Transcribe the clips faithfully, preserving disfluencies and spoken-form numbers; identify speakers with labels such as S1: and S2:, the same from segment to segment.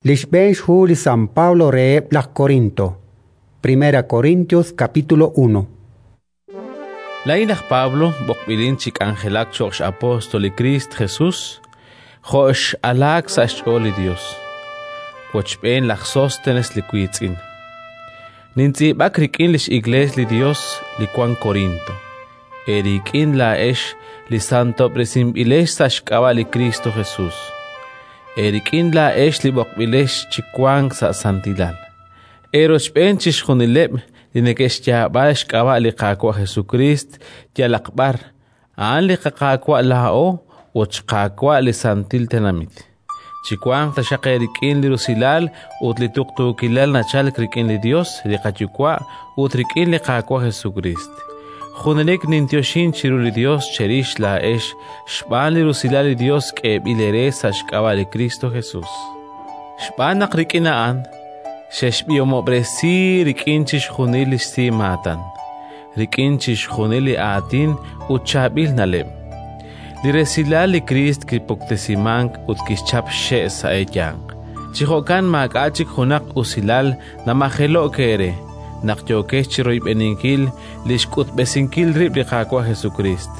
S1: Li xb'een xhu li San Pablo reheb' laj Korinto. Primera Corintios capítulo uno.
S2: Laa'in laj Pablo, b'oqb'ilin chi k'anjelak cho'q x'apóstol li Kriist Jesus, jo' x'alaak sa' xch'ool li Yos, wochb'een laj Sóstenes li wiitz'in. Nintz'iib'ak rik'in li x'Iklees li Yos li wank Korinto, eerik'in laa'ex li santob'resinb'ilex sa' xk'ab'a' li Kristo Jesus, eerik'in laa'ex li b'oqb'ilex chi wank sa' santilal, eerochb'een chixjunileb' li neke'xyaab'a xk'ab'a' li Qaawa' Jesukriist yalaq b'ar, a'an li qaQaawa' laa'o ut xQaawa' li santil tenamit. Chiwanq taxaq eerik'in li rusilal ut li tuqtuukilal nachalk rik'in li Yos li qaYuwa' ut rik'in li Qaawa' Jesukriist. Junelik ninyoxin chiru li Yos cherix laa'ex xb'aan li rusilal li Yos k'eeb'il eere sa' xk'ab'a' li Kristo Jesus. Xb'aan naq rik'in a'an xexb'ihomob'resi rik'in chixjunil li xsimaatan, rik'in chixjunil li aatin ut chaab'il na'leb'. Li resilal li Kriist kipuktesimank ut kixchap xxe' sa' eeyanq. Chi jo'kan maak'a' chik junaq usilal namajelo'k eere naq yookex chi royb'eninkil li xk'utb'esinkil rib' li Qaawa' Jesukriist.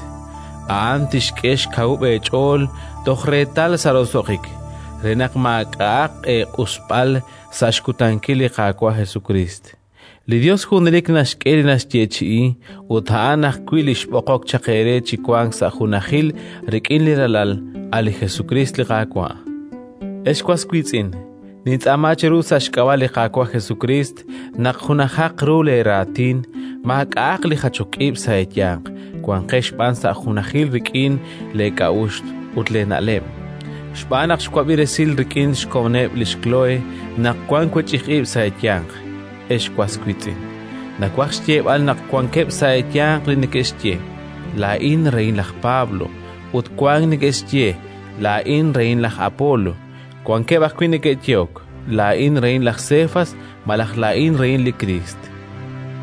S2: A'an tixk'e xkawub' eech'ool toj reetal sa' roso'jik, re naq maak'a'aq eeq'usb'al sa' xkutankil li Qaawa' Jesukriist. Li Yos junelik naxk'e li naxyeechi'i, ut a'an ajwi' li xb'oqok chaq eere chi wank sa' junajil rik'in li Ralal, a' li Jesukriist li Qaawa'. Ex was wiitz'in, nintz'aama cheru sa' xk'ab'a' li Qaawa' Jesukriist naq junajaq ru leeraatin, maak'a'aq li jachok ib' sa' eeyanq, wanqex b'an sa' junajil rik'in leek'a'uxl ut leena'leb'. Xb'aan naq xwab'i resil rik'in xkomoneb' lix Kloe naq wank wech'ij ib' sa' eeyanq, ex was wiitz'in. Nawaj xyeeb'al naq wankeb' sa' eeyanq li neke'xye: “Laa'in rehin laj Pablo”, ut wank neke'xye: “Laa'in rehin laj Apolo”. Wankeb' ajwi' neke'yehok: “Laa'in rehin laj Sefas” malaj “Laa'in rehin li Kriist”.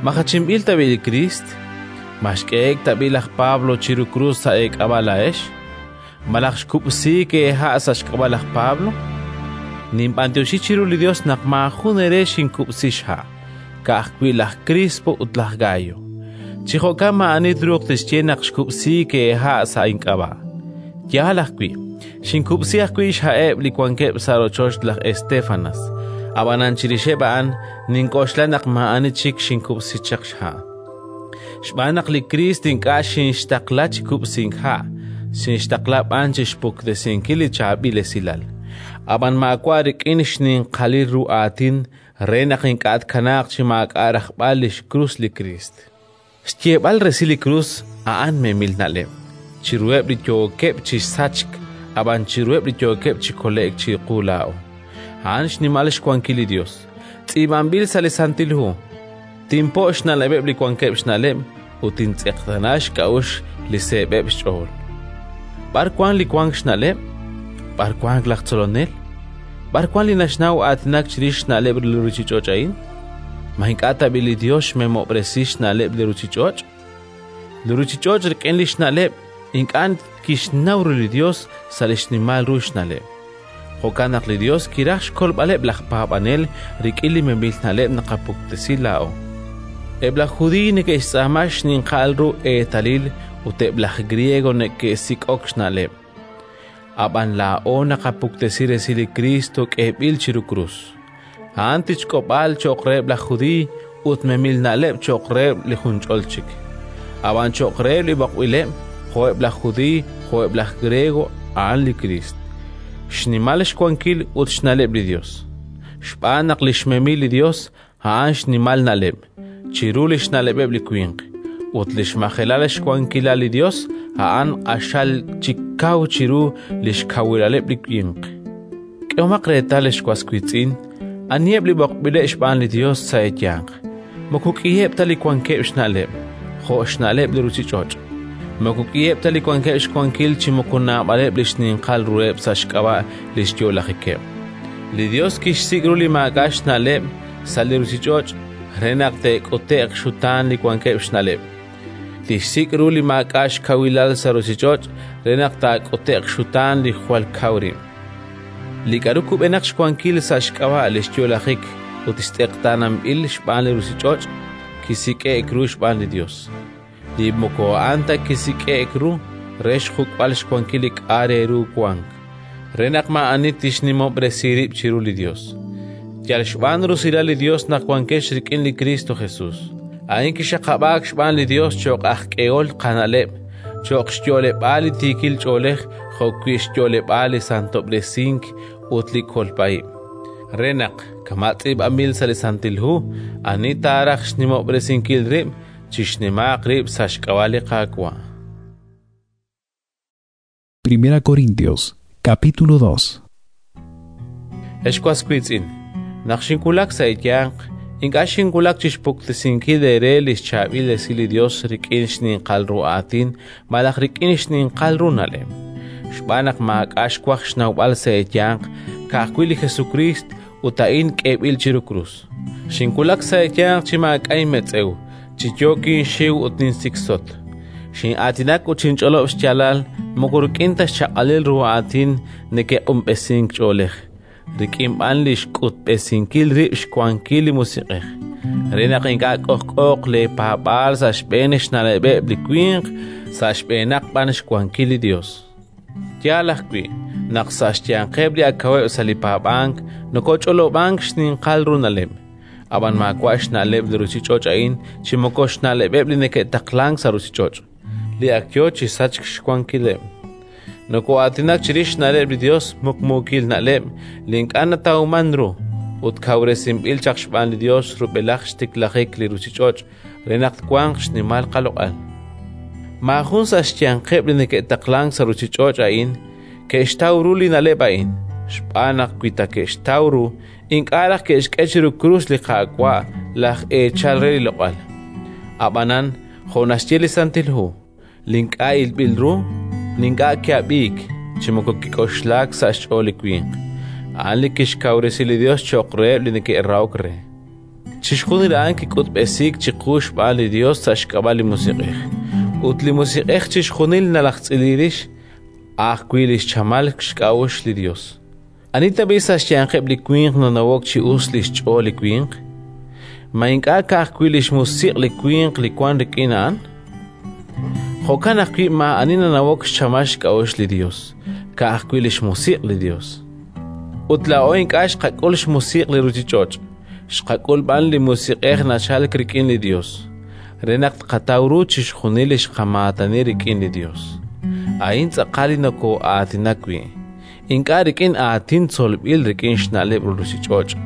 S2: Ma jachinb'il tab'i' li Kriist? Ma xk'ehe'k tab'i' laj Pablo chiru krus sa' eek'ab'a' laa'ex? Malaj xkub'siik eeha' sa' xk'ab'a' laj Pablo? Ninb'anyoxi chiru li Yos naq maajun eere xinkub'si xha', ka'ajwi' laj Crispo ut laj Gayo. Chi jo'kan maa'ani truuq tixye naq xkub'siik eeha' sa' ink'ab'a'. Yaal ajwi', xinkub'si ajwi' xha'eb' li wankeb' sa' rochoch laj Estéfanas, ab'anan chirixeb' a'an nink'oxla naq maa'ani chik xinkub'si chaq xha'. Xb'aan naq li Kriist ink'a' xinxtaqla chi kub'sink ha', xinxtaqla b'an chi xpuktesinkil li chaab'il esilal. Ab'an maawa' rik'in xninqalil ru aatin re naq ink'a' tkanaaq chi maak'a' rajb'al li xkrus li Kriist. Xyeeb'al resil li krus a'an memil na'leb' chiruheb' li yookeb' chi sachk, ab'an chiruheb' li yookeb' chi kole'k chiqu laa'o. A'an xnimal xwankil li Yos. Tz'iib'anb'il sa' li Santil Hu: “Tinpo' xna'leb'eb' li wankeb' xna'leb' ut tintz'eqtaana xk'a'uxl li seeb'eb' xch'ool”. B'ar wank li wank xna'leb'? B'ar wank laj tzolonel? B'ar wank li naxnaw aatinak chirix xna'leb' li ruuchich'och' a'in? Ma ink'a' tab'i' li Yos xmemob'resi xna'leb' li ruuchich'och'? Li ruuchich'och' rik'in li xna'leb' ink'a' kixnaw ru li Yos sa' li xnimal ru xna'leb'. Jo'kan naq li Yos kiraj xkolb'aleb' laj paab'anel rik'in li memil na'leb' naqapuktesi laa'o. Eb' laj Judiiy neke'xtz'aama xninqal ru eetalil ut eb' laj Griego neke'sik'ok xna'leb'. Ab'an laa'o naqapuktesi resil li Kristo k'eeb'il chiru krus. A'an tichk'ob'aal cho'q reheb' laj Judiiy ut memil na'leb' cho'q reheb' li junch'ol chik. Ab'an cho'q reheb' li b'oqb'ileb', jo'eb' laj Judiiy jo'eb' laj Griego, a'an li Kriist, xnimal xwankil ut xna'leb' li Yos. Xb'aan naq li xmemil li Yos a'an xnimal na'leb' chiru li xna'leb'eb' li winq, ut li xmajelal xwankilal li Yos a'an q'axal chik kaw chiru li xkawilaleb' li winq. K'ehomaq reetal, ex was wiitz'in, aniheb' li b'oqb'ileb' xb'aan li Yos sa' eeyanq. Moko k'iheb' ta li wankeb' xna'leb', jo' xna'leb' li ruuchich'och'. Moko k'iheb' ta li wankeb' xwankil chi moko naab'aleb' li xninqal ruheb' sa' xk'ab'a' li xyo'lajikeb'. Li Yos kixsik' ru li maak'a' xna'leb' sa' li ruuchich'och' re naq te'k'ute'q xutaan li wankeb' xna'leb'. Tixsik' ru li maak'a' xkawilal sa' ruuchich'och' re naq taak'ute'q xutaan li jwal kaw rib'. Li k'aru kub'enaq xwankil sa' xk'ab'a' li xyo'lajik ut xtz'eqtaananb'il xb'aan li ruuchich'och', kisik'e'k ru xb'aan li Yos. Li moko a'an ta kisik'e'k ru re xjuk'b'al xwankil li k'a' re ru wank, re naq maa'ani tixnimob'resi rib' chiru li Yos. Yal xb'aan rusilal li Yos naq wankex rik'in li Kristo Jesus. A'in kixaqab'aak xb'aan li Yos cho'q aj k'ehol qana'leb', cho'q xyo'leb'aal li tiikil ch'oolej jo'wi' xyo'leb'aal li santob'resink ut li kolb'a ib', re naq, kama' tz'iib'anb'il sa' li Santil Hu, ani taaraj xnimob'resinkil rib', chixnimaaq rib' sa' xk'ab'a' li Qaawa'.
S3: Primera Corintios, capítulo dos.
S2: Ex was wiitz'in, naq xinwulak sa' eeyanq, ink'a' xinwulak chi xpuktesinkil eere li xchaab'il esil li Yos rik'in xninqal ru aatin malaj rik'in xninqal ru na'leb', xb'aan naq maak'a' xwaj xnawb'al sa' eeyanq, ka'ajwi' li Jesukriist ut a'in k'eeb'il chiru krus. Xinwulak sa' eeyanq chi maak'a' inmetz'ew, chi yook inxiw ut ninsiksot. Xin'aatinak ut xinch'olob' xyaalal moko rik'in ta xchaq'alil ru aatin neke'q'unb'esink ch'oolej, rik'in b'an li xk'utb'esinkil rib' xwankil li Musiq'ej, re naq ink'a' k'ojk'ooq leepaab'aal sa' xb'een xna'leb'eb' li winq, sa' xb'eenaq b'an xwankil li Yos. Yaal ajwi' naq sa' xyanqeb' li ak kaweb' sa' li paab'ank nokoch'olob'ank xninqal ru na'leb', ab'an maawa' xna'leb' li ruuchich'och' a'in chi moko xna'leb'eb' li neke'taqlank sa' ruuchich'och', li ak yo chi sachk xwankileb'. Noko'aatinak chirix xna'leb' li Yos, muqmuukil na'leb' li ink'a' natawman ru ut kawresinb'il chaq xb'aan li Yos rub'elaj xtiklajik li ruuchich'och' re naq twanq xnimal qaloq'al. Maajun sa' xyanqeb' li neke'taqlank sa' ruuchich'och' a'in ke'xtaw ru li na'leb' a'in, xb'aan naq wi ta ke'xtaw ru, ink'a' raj ke'xk'e chiru krus li Qaawa' laj eechal re li loq'al. Ab'anan, jo' naxye li Santil Hu, li ink'a' ilb'il ru, li ink'a' ki'ab'iik chi moko kik'oxlaak sa' xch'ool li winq, a'an li kixkawresi li Yos cho'q reheb' li neke'rahok re. Chixjunil a'an kik'utb'esiik chiqu xb'aan li Yos sa' xk'ab'a' li Musiq'ej. Ut li Musiq'ej chixjunil nalajtz'ili rix, ajwi' li xchamal xk'a'uxl li Yos. Ani tab'i' sa' xyanqeb' li winq nanawok chi us li xch'ool li winq? Ma ink'a' ka'ajwi' li xmusiq' li winq li wank rik'in a'an? Jo'kan ajwi' maa'ani nanawok xchamal xk'a'uxl li Yos, ka'ajwi' li xmusiq' li Yos. Ut laa'o ink'a' xqak'ul xmusiq' li ruuchich'och', xqak'ul b'an li Musiq'ej nachalk rik'in li Yos, re naq tqataw ru chixjunil li xqamaatani rik'in li Yos. A'in tz'aqal li nokoo'aatinak wi', ink'a' rik'in aatin tzolb'il rik'in xna'leb' ruuchich'och',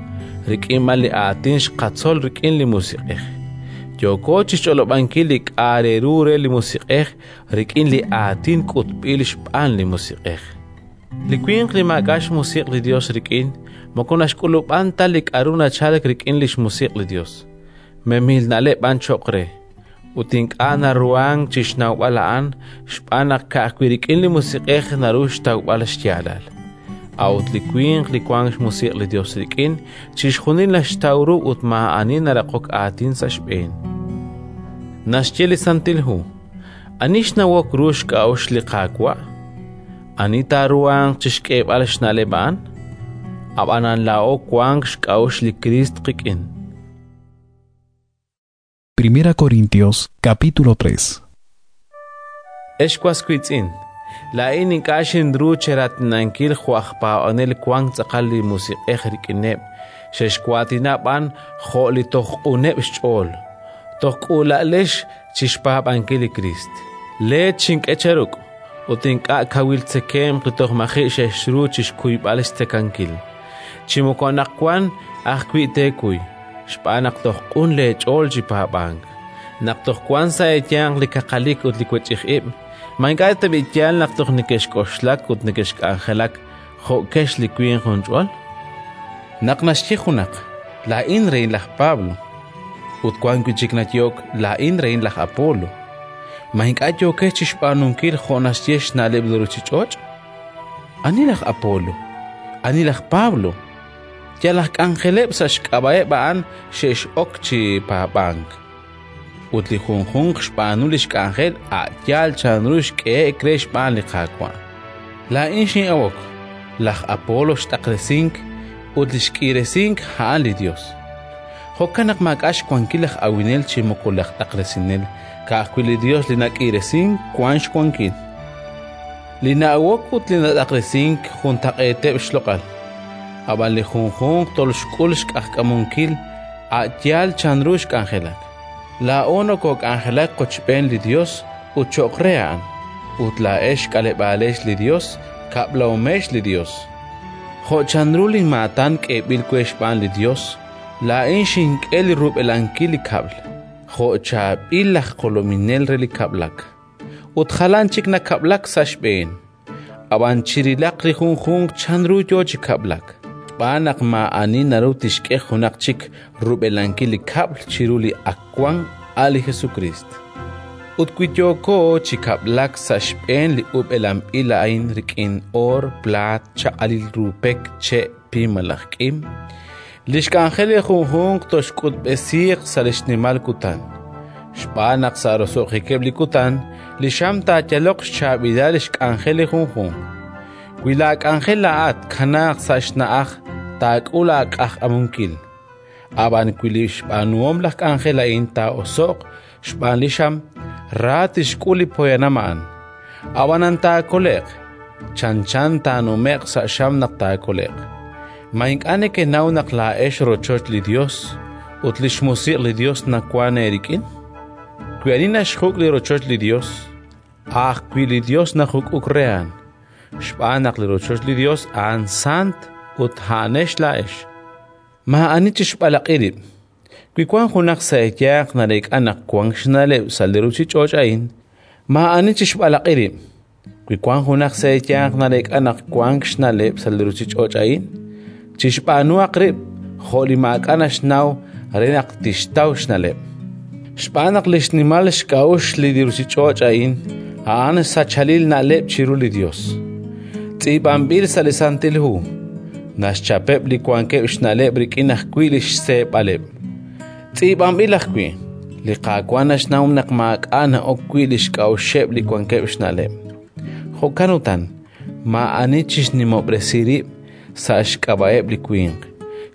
S2: rik'in b'an li aatin xqatzol rik'in li Musiq'ej. Yooko chi xch'olob'ankil li k'a' re ru re li Musiq'ej rik'in li aatin k'utb'il xb'aan li Musiq'ej. Li winq li maak'a' xmusiq' li Yos rik'in moko naxk'ulub'an ta li k'aru nachalk rik'in li xmusiq' li Yos. Memil na'leb' b'an cho'q re, ut ink'a' naruhank chi xnawb'al a'an xb'aan naq ka'ajwi' rik'in li Musiq'ej naru xtawb'al xyaalal. A'ut li winq li wank xmusiq' li Yos rik'in chixjunil naxtaw ru ut maa'ani naraqok aatin sa' xb'een. Naxye li Santil Hu: Ani xnawok ru xk'a'uxl li Qaawa'? Ani taaruhanq chi xk'eeb'al xna'leb' a'an? Ab'anan laa'o wank xk'a'uxl li Kriist qik'in.
S3: Primera Corintios, capítulo tres.
S2: Ex was wiitz'in, laa'in ink'a' xinru cheraatinankil jo' aj paab'anel wank tz'aqal li Musiq'ej rik'ineb', xexwaatina b'an jo' li toj q'uneb' xch'ool, toj k'uula'lex chi xpaab'ankil li Kriist. Leech xink'e cheruk' ut ink'a' kawil tzekemq li toj maji' xexru chi xkuyb'al xtzekankil. Chi moko anaqwan ajwi' teekuy, xb'aan naq toj q'un leech'ool chi paab'ank. Naq toj wank sa' eeyanq li kaqalik ut li wech'ij ib', ma ink'a' tab'i' yaal naq toj neke'xk'oxlak ut neke'xk'anjelak jo'kex li winq junch'ol? Naq naxye junaq, laa'in rehin laj Pablo, ut wank wi' chik nayehok, laa'in rehin laj Apolo, ma ink'a' yookex chi xb'aanunkil jo' naxye xna'leb' li ruuchich'och'? Ani laj Apolo? Ani laj Pablo? Yal aj k'anjeleb' sa' xk'ab'a'eb' a'an xe'x'ok chi paab'ank. Ut li junjunq xb'aanu li xk'anjel a' yaal chanru xk'ehe'k re xb'aan li Qaawa'. Laa'in xin'awok, Laj Apolo xt'aqresink ut li xk'iiresink a'an li Yos. Jo'kan naq maak'a' xwankil laj awinel chi moko laj t'aqresinel, ka'ajwi' li Yos li nak'iiresink wank xwankil. Li na'awok ut li nat'aqresink juntaq'eeteb' xloq'al, ab'an li junjunq tolxk'ul xq'ajkamunkil a' yaal chanru xk'anjelak. Laa'o nokook'anjelak qochb'een li Yos ut cho'q re A'an, ut laa'ex xk'aleb'aalex li Yos, kab'lahomex li Yos. Jo' chanru linmaatan k'eeb'il we xb'aan li Yos, laa'in xink'e li rub'elankil li kab'l, jo' chaab'il laj jolominel re li kab'lak, ut jalan chik nakab'lak sa' xb'een. Ab'an chirilaq li junjunq chanru yo chi kab'lak, xb'aan naq maa'ani naru tixk'e junaq chik rub'elankil li kab'l chiru li ak wank, a' li Jesukriist. Ut wi yooko chi kab'lak sa' xb'een li ub'elanb'il a'in rik'in oor, plaat, chaq'alil ru pek, che', pim malaj k'im, li xk'anjel li junjunq toxk'utb'esiiq sa' li xnimal kutan. Xb'aan naq sa' roso'jikeb' li kutan li xam taayaloq xchaab'ilal li xk'anjel li junjunq. Wi laak'anjel laa'at kanaaq sa' xna'aj, taak'ul aaq'ajkamunkil. Ab'an wi li xb'aanuhom laj k'anjel a'in taa'oso'q xb'aan li xam, ra tixk'ul li poyanam a'an. Ab'anan taakole'q, chanchan taanume'q sa' xam naq taakole'q. Ma ink'a' nekenaw naq laa'ex rochoch li Yos ut li xmusiq' li Yos nawank eerik'in? Wi ani naxjuk' li rochoch li Yos, a' ajwi' li Yos najuk'uk re a'an, xb'aan naq li rochoch li Yos a'an sant ut a'anex laa'ex. Maa'ani chixb'alaq'i rib'. Wi wank junaq sa' eeyanq nareek'a naq wank xna'leb' sa' li ruuchich'och' a'in, maa'ani chixb'alaq'i rib'. Wi wank junaq sa' eeyanq nareek'a naq wank xna'leb' sa' li ruuchich'och' a'in, chixb'aanuhaq rib' jo' li maak'a' naxnaw re naq tixtaw xna'leb'. Xb'aan naq li xnimal xk'a'uxl li ruuchich'och' a'in a'an sachalil na'leb' chiru li Yos. Tz'iib'anb'il sa' li Santil Hu: naxchapeb' li wankeb' xna'leb' rik'in ajwi' li xseeb'aleb'. Tz'iib'anb'il ajwi': li Qaawa' naxnaw naq maak'a' na'ok wi' li xk'a'uxeb' li wankeb' xna'leb'. Jo'kan utan, maa'ani chixnimob'resi rib' sa' xk'ab'a'eb' li winq,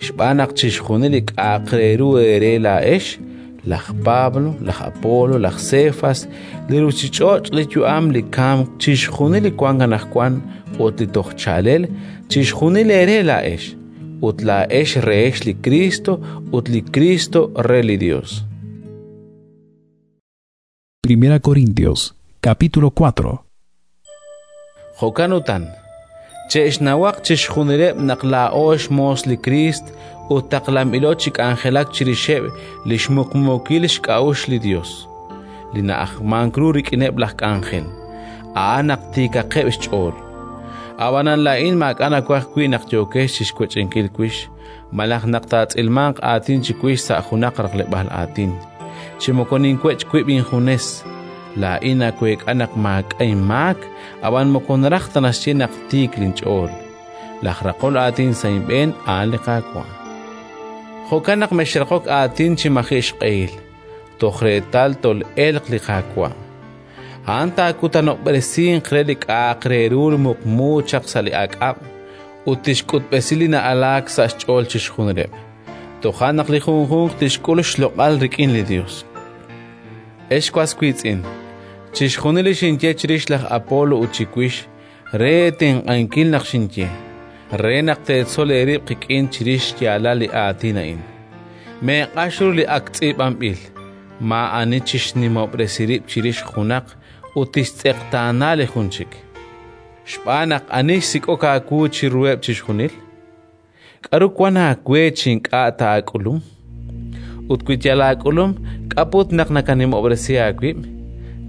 S2: xb'aan naq chixjunil li k'a'aq re ru eere laa'ex, laj Pablo, laj Apolo, laj Cefas, li ruuchich'och', li yu'am, li kamk, chixjunil li wank anaqwan ut li toj chaalel, chixjunil eere laa'ex, ut laa'ex rehex li Kristo ut li Kristo re li Dios.
S3: Primera Corintios, capítulo cuatro.
S2: Jo'kan utan, che'xnawaq chixjunileb' naq laa'o xmoos li Kriist ut taqlanb'ilo chi k'anjelak chirixeb' li xmuqmuukil xk'a'uxl li Yos, li na'ajmank ru rik'ineb' laj k'anjel, a'an naq tiikaqeb' xch'ool. Ab'anan laa'in maak'a' nawaj wi' naq yookex chi xwech'inkil wix, malaj naq taatz'ilmanq aatin chiwix sa' junaq raqleb'aal aatin, chi moko ninwech' wib' injunes. Laa'in naweek'a naq maak'a' inmaak, ab'an moko naraj ta naxye naq tiik linch'ool. Laj raqol aatin sa' inb'een a'an li Qaawa'. Jo'kan naq mexraqok aatin chi maji' xq'ehil, toj reetal tol'elq li Qaawa'. A'an taakutanob'resinq re li k'a'aq re ru muqmu chaq sa' li ak'ab' ut tixk'utb'esi li na'alaak sa' xch'ool chixjunileb'. Toja' naq li junjunq tixk'ul xloq'al rik'in li Yos. Ex was wiitz'in, chixjunil li xinye chirix laj Apolo ut chiwix, re eetenq'ankil naq xinye, re naq teetzol eerib' qik'in chirix xyaalal li aatin a'in. Meeq'ax ru li ak tz'iib'anb'il, maa'ani chixnimob'resi rib' chirix junaq ut tixtz'eqtaana li jun chik. Xb'aan naq ani xsik'ok aawu chiruheb' chixjunil? K'aru wank aawe chi ink'a' ta aak'ulum? Ut wi yal aak'ulum, k'a' put naq nakanimob'resi aawib'?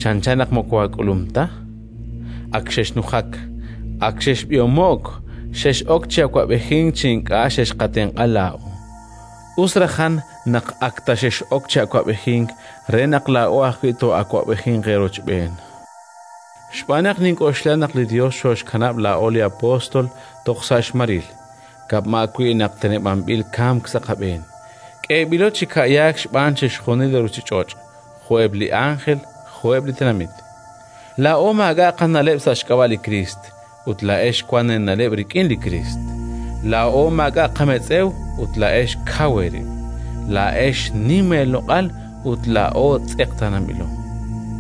S2: Chanchan naq moko aak'ulum ta. Ak xexnujak, ak xexb'ihomo'k, xex'ok chi awab'ejink chi ink'a' xexqatenq'a laa'o. Us rajan naq ak ta xex'ok chi awab'ejink re naq laa'o ajwi' too'awab'ejinq eerochb'een. Xb'aan naq nink'oxla naq li Yos xooxkanab' laa'o li apóstol toj sa' xmaril, kab'ma wi' naq teneb'anb'il kamk sa' qab'een. K'eeb'ilo chi ka'yaak xb'aan chixjunil li ruuchich'och', jo'eb' li ánjel, jo'eb' li tenamit. Laa'o maak'a' qana'leb' sa' xk'ab'a' li Kriist, ut laa'ex wank eena'leb' rik'in li Kriist. Laa'o maak'a' qametz'ew ut laa'ex kaw eerib'. Laa'ex nim eeloq'al ut laa'o tz'eqtaananb'ilo.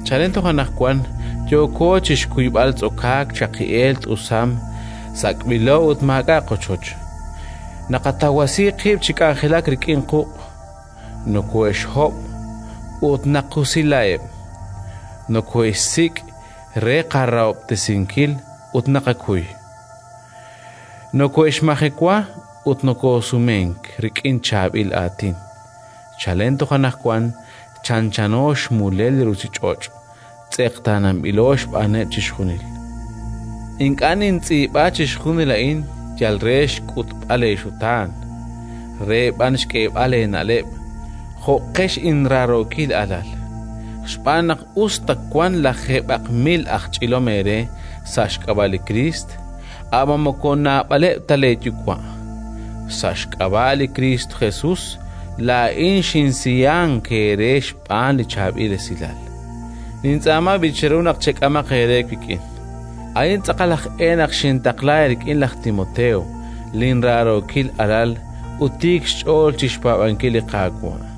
S2: Chalen toj anaqwan yooko chi xkuyb'al tz'okaak, chaqi'eel, t'usam, sak'b'ilo ut maak'a' qochoch. Naqatawasi qib' chi k'anjelak rik'in quq', nokoohe'xhob' ut naqusilaheb', nokoohe'xsik' re qarahob'tesinkil ut naqakuy. Nokoohe'xmajewa ut nokoosumenk rik'in chaab'il aatin. Chalen toj anaqwan chanchano xmulel li ruuchich'och', tz'eqtaananb'ilo xb'aaneb' chixjunil. Ink'a' nintz'iib'a chixjunil a'in yal re xk'utb'al eexutaan, re b'an xk'eeb'al eena'leb', jo'qex inraarookil alal. Xb'aan naq us ta wank lajeeb'aq mil aj ch'ilom eere sa' xk'ab'a' li Kriist, ab'an moko naab'aleb' ta leeyuwa'. Sa' xk'ab'a' li Kriist Jesus laa'in xinsiyank eere xb'aan li chaab'il esilal. Nintz'aama b'i' cheru naq chek'amaq eere wik'in. A'in tz'aqal aj e naq xintaqla eerik'in laj Timoteo, linraarookil alal ut tiik xch'ool chi xpaab'ankil li Qaawa'.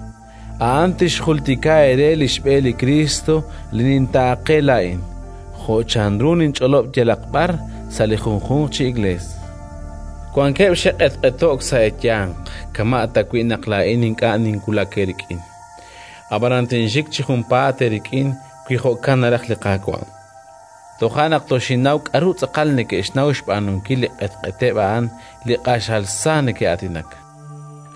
S2: A'an tixjultika eere li xb'e li Kristo li nintaaqe laa'in, jo' chanru ninch'olob' yalaq b'ar sa' li junjunq chi iglees. Wankeb' xe'q'etq'eto'k sa' eeyanq, kama' tawi' naq laa'in ink'a' ninwulak eerik'in. Ab'anan tinxik chi junpaat eerik'in wi jo'kan naraj li Qaawa'. Toja' naq toxinnaw k'aru tz'aqal neke'xnaw xb'aanunkil li q'etq'eteb' a'an li q'axal sa neke'aatinak.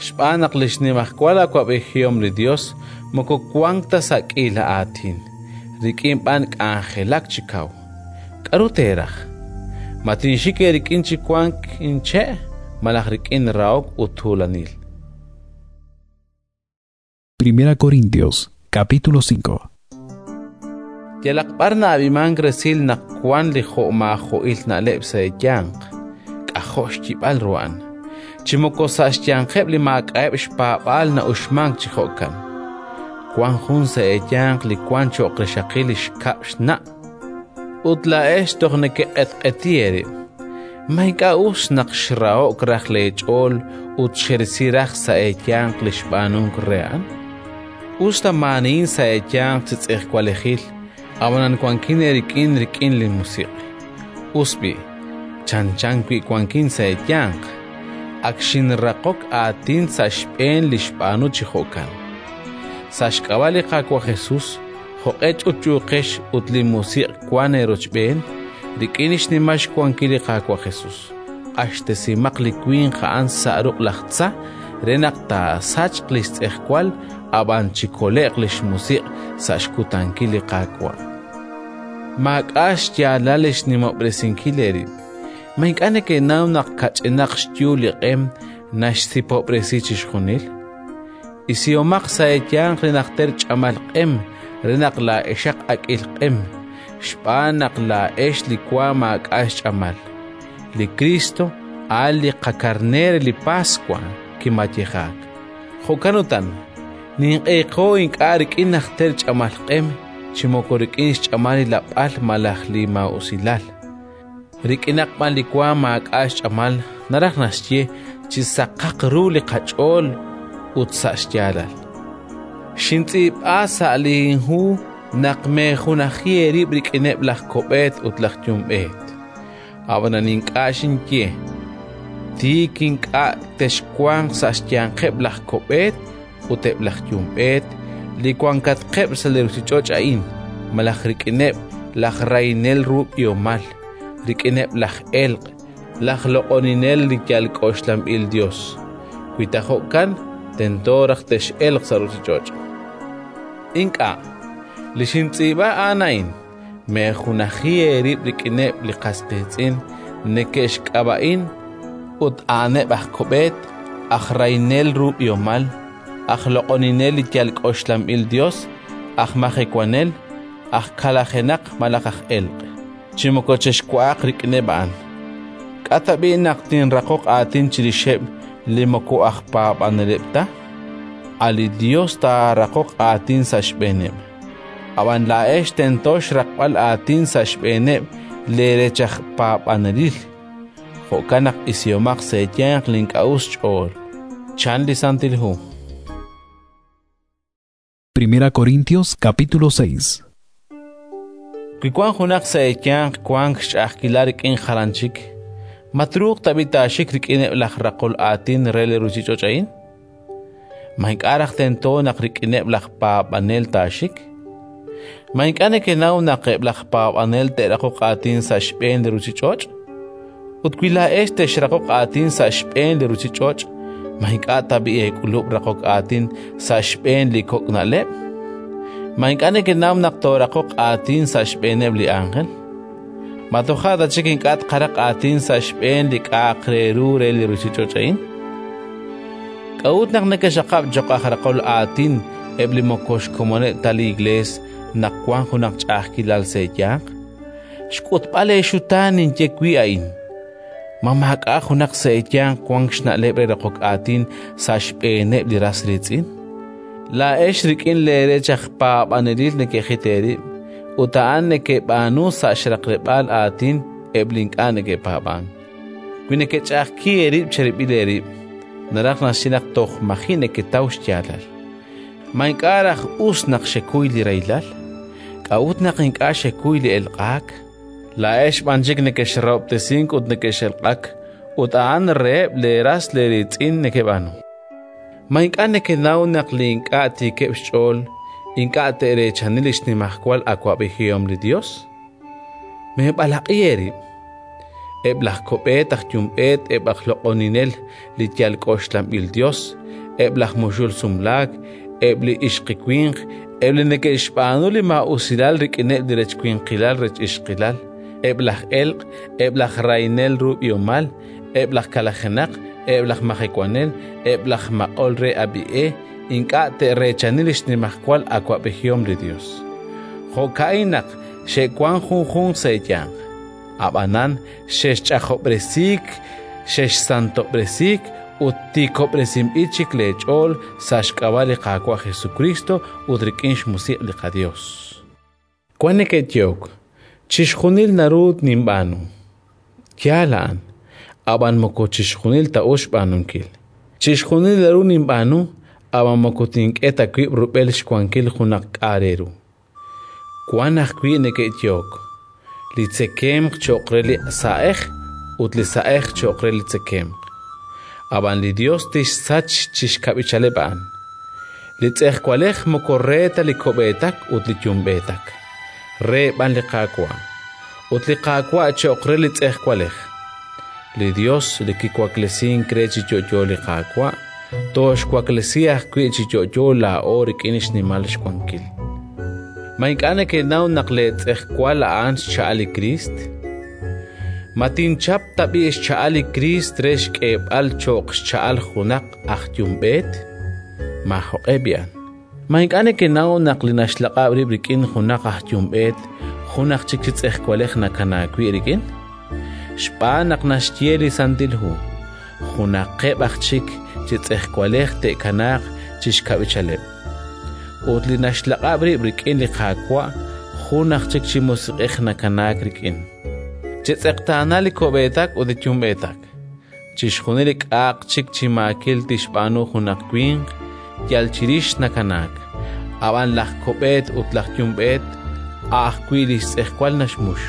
S2: Xb'aan naq li xnimajwal awa'b'ejihom li Yos moko wank ta sa' k'iila aatin, rik'in b'an k'anjelak chi kaw. K'aru teeraj? Ma tinxik eerik'in chi wank inche' malaj rik'in rahok ut tuulanil?
S3: Primera Corintios, capítulo cinco.
S2: Yalaq b'ar na'ab'imank resil naq wank li jo'maajo'il na'leb' sa' eeyanq, k'ajo' xyib'al ru a'an. Chi moko sa' xyanqeb' li maak'a'eb' xpaab'aal na'uxmank chi jo'kan. Wank jun sa' eeyanq li wank cho'q rixaqil li xkab' xna', ut laa'ex toj nekeq'etq'eti eerib'. Ma ink'a' us naq xraho'k raj leech'ool ut xerisi raj sa' eeyanq li xb'aanunk re a'an? Us ta maanihin sa' eeyanq chi tz'ejwalejil, ab'anan wankin eerik'in rik'in li musiq'. Us b'i', chanchan wi' wankin sa' eeyanq, ak xinraqok aatin sa' xb'een li xb'aanu chi jo'kan. Sa' xk'ab'a' li Qaawa' Jesus, jo'q'e ch'utch'uuqex ut li musiq' wank eerochb'een, rik'in xnimal xwankil li Qaawa' Jesus, q'axtesimaq li winq a'an sa' ruq' laj tza re naq taasachq li xtz'ejwal, ab'an chikole'q li xmusiq' sa' xkutankil li Qaawa'. Maak'a' xyaalal li xnimob'resinkil eerib'. Ma ink'a' nekenaw naq kach'inaq xyu li q'em naxsipob'resi chixjunil? Isihomaq sa' eeyanq li najter ch'amal q'em re naq laa'exaq ak'il q'em, xb'aan naq laa'ex li wa maak'a' xch'amal. Li Kristo a'an li qakarneer li Paswa kimayejaak. Jo'kan utan, ninq'eeqo ink'a' rik'in najter ch'amal q'em, chi moko rik'in xch'amal li lab'al malaj li maa'usilal. Rik'inaq b'an li wa maak'a' xch'amal naraj naxye chi saqaq ru li qach'ool ut sa' xyaalal. Xintz'iib'a sa' linhu naq meejunaji eerib' rik'ineb' laj ko'b'eet ut laj yumb'eet. Ab'anan ink'a' xinye tiik ink'a' texwanq sa' xyanqeb' laj ko'b'eet ut eb' laj yumb'eet li wankatqeb' sa' li ruuchich'och' a'in, malaj rik'ineb' laj rahinel ru b'ihomal, rik'ineb' laj elq', laj loq'oninel li yal k'oxlanb'il Yos. Wi ta jo'kan, tento raj tex'elq sa' ruuchich'och'. Ink'a', li xintz'iib'a a'an a'in: meejunaji eerib' rik'ineb' li qas qiitz'in neke'xk'ab'a'in ut a'aneb' aj ko'b'eet, aj rahinel ru b'ihomal, aj loq'oninel li yal k'oxlanb'il Yos, aj majewanel, aj kalajenaq malaj aj elq'. Chi moko chexwa'aq rik'ineb' a'an. K'a tab'i' naq tinraqoq aatin chirixeb' li moko aj paab'aneleb' ta? A' li Yos taaraqoq aatin sa' xb'eeneb'. Ab'an laa'ex tento xraqb'al aatin sa' xb'eeneb' leerech aj paab'anelil. Jo'kan naq isihomaq sa' eeyanq li ink'a' us xch'ool, chan li Santil Hu.
S3: Primera Corintios capítulo seis.
S2: Wi wank junaq sa' eeyanq wank xch'a'ajkilal rik'in jalan chik, ma truuq tab'i' taaxik rik'ineb' laj raqol aatin re li ruuchich'och' a'in? Ma ink'a' raj tento naq rik'ineb' laj paab'anel taaxik? Ma ink'a' nekenaw naq eb' laj paab'anel te'raqoq aatin sa' xb'een li ruuchich'och'? Ut wi laa'ex texraqoq aatin sa' xb'een li ruuchich'och', ma ink'a' tab'i' eek'ulub' raqok aatin sa' xb'een li kok' na'leb'? Ma ink'a' nekenaw naq tooraqoq aatin sa' xb'eeneb' li ánjel? Ma toja' ta chik ink'a' tqaraq aatin sa' xb'een li k'a'aq re ru re li ruuchich'och' a'in? K'a'ut naq nekexaqab' cho'q aj raqol aatin eb' li moko xkomoneb' ta li Iklees naq wank junaq ch'a'ajkilal sa' eeyanq? Xk'utb'al eexutaan ninye wi' a'in. Ma maak'a' junaq sa' eeyanq wank xna'leb' re raqok aatin sa' xb'eeneb' li ras riitz'in? Laa'ex rik'in leerech aj paab'anelil nekejit eerib', ut a'an nekeb'aanu sa' xraqleb'aal aatin eb' li ink'a' neke'paab'ank. Wi nekech'a'ajki eerib' cherib'il eerib', naraj naxye naq toj maji' neketaw xyaalal. Ma ink'a' raj us naq xekuy li rahilal? K'a'ut naq ink'a' xekuy li elq'aak? Laa'ex b'an chik nekexrahob'tesink ut nekex'elq'ak, ut a'an reheb' leeras leeriitz'in nekeb'aanu. Ma ink'a' nekenaw naq li ink'a' tiikeb' xch'ool ink'a' te'reechani li xnimajwal awa'b'ejihom li Yos? Meeb'alaq'i eerib'. Eb' laj ko'b'eet aj yumb'eet, eb' aj loq'oninel li yal k'oxlanb'il yos, eb' laj muxul sumlaak, eb' li ixqiwinq, eb' li neke'xb'aanu li maa'usilal rik'ineb' li rechwinqilal rech-ixqilal, eb' laj elq', eb' laj rahinel ru b'ihomal, eb' laj kalajenaq, eb' laj majewanel, eb' laj maq'ol re ab'i e, ink'a' te'reechani li xnimajwal awa'b'ejihom li Yos. Jo'ka'in naq xe'wank junjunq sa' eeyanq. Ab'anan xexch'ajob'resiik, xexsantob'resiik ut tiikob'resinb'il chik leech'ool sa' xk'ab'a' li Qaawa' Jesukriist ut rik'in xmusiq' li qaYos. Wank neke'yehok: chixjunil naru ninb'aanu. Yaal a'an, ab'an moko chixjunil ta us xb'aanunkil. Chixjunil naru ninb'aanu, ab'an moko tink'e ta wib' rub'el xwankil junaq k'a' re ru. Wank ajwi' neke'yehok: li tzekemq cho'q re li sa'ej ut li sa'ej cho'q re li tzekemq. Ab'an li Yos tixsach chi xkab'ichaleb' a'an. Li tz'ejwalej moko re ta li ko'b'eetak ut li yumb'eetak, re b'an li Qaawa', ut li Qaawa' cho'q re li tz'ejwalej. Li Yos li kiwaklesink re chi yo'yo li Qaawa', tooxwaklesi ajwi' chi yo'yo laa'o rik'in xnimal xwankil. Ma ink'a' nekenaw naq leetz'ejwal a'an xcha'al li Kriist? Ma tinchap tab'i' xcha'al li Kriist re xk'eeb'al cho'q xcha'al junaq aj yumb'eet? Maajoq'e b'i'an. Ma ink'a' nekenaw naq li naxlaq'ab' rib' rik'in junaq aj yumb'eet jun aj chik chi tz'ejwalej nakanaak wi' rik'in? Xb'aan naq naxye li Santil Hu: junaqeb' aj chik chi tz'ejwalej te'kanaaq chi xkab'ichaleb'. Ut li naxlaq'ab' rib' rik'in li Qaawa', jun aj chik chi musiq'ej nakanaak rik'in. Chetz'eqtaana li ko'b'eetak ut li yumb'eetak. Chixjunil li k'a'aq chik chi maakil tixb'aanu junaq winq, yal chirix nakanaak. Ab'an laj ko'b'eet ut laj yumb'eet a' ajwi' li xtz'ejwal naxmux.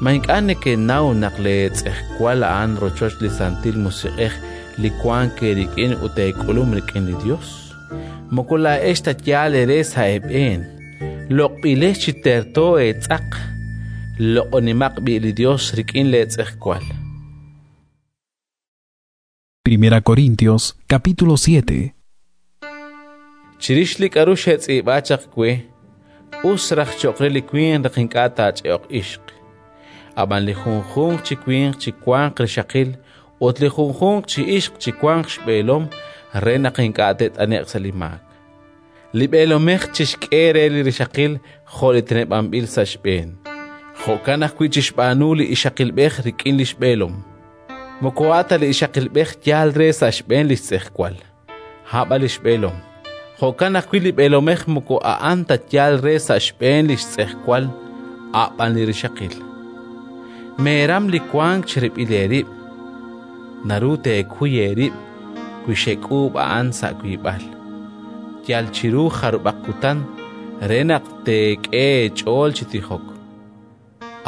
S2: Ma ink'a' nekenaw naq leetz'ejwal a'an rochoch li Santil Musiq'ej li wank eerik'in ut eek'ulum rik'in li Yos? Moko laa'ex ta yaal eere sa' eeb'een. Loq'b'ilex chi terto eetz'aq. Loq'onimaq b'i' li Yos rik'in leetz'ejwal.
S3: Primera Corintios capítulo siete.
S2: Chirix li k'aru xetz'iib'a chaq we, us raj cho'q re li winq naq ink'a' taach'e'oq ixq. Ab'an li junjunq chi winq chiwanq rixaqil ut li junjunq chi ixq chiwanq xb'eelom re naq ink'a' te't'ane'q sa' li maak. Li b'eelomej chixk'e re li rixaqil jo' li teneb'anb'il sa' xb'een. Jo'kan ajwi' chixb'aanu li ixaqilb'ej rik'in li xb'eelom. Moko a' ta li ixaqilb'ej yaal re sa' xb'een li xtz'ejwal, a' li xb'eelom. Jo'kan ajwi' li b'eelomej moko a'an ta yaal re sa' xb'een li xtz'ejwal, a' b'an li rixaqil. Meeram li wank cherib'il eerib'. Naru teekuy eerib' wi xek'uub' a'an sa' wiib'al, yal chiru jarub'aq kutan, re naq teek'e eech'ool chi tijok.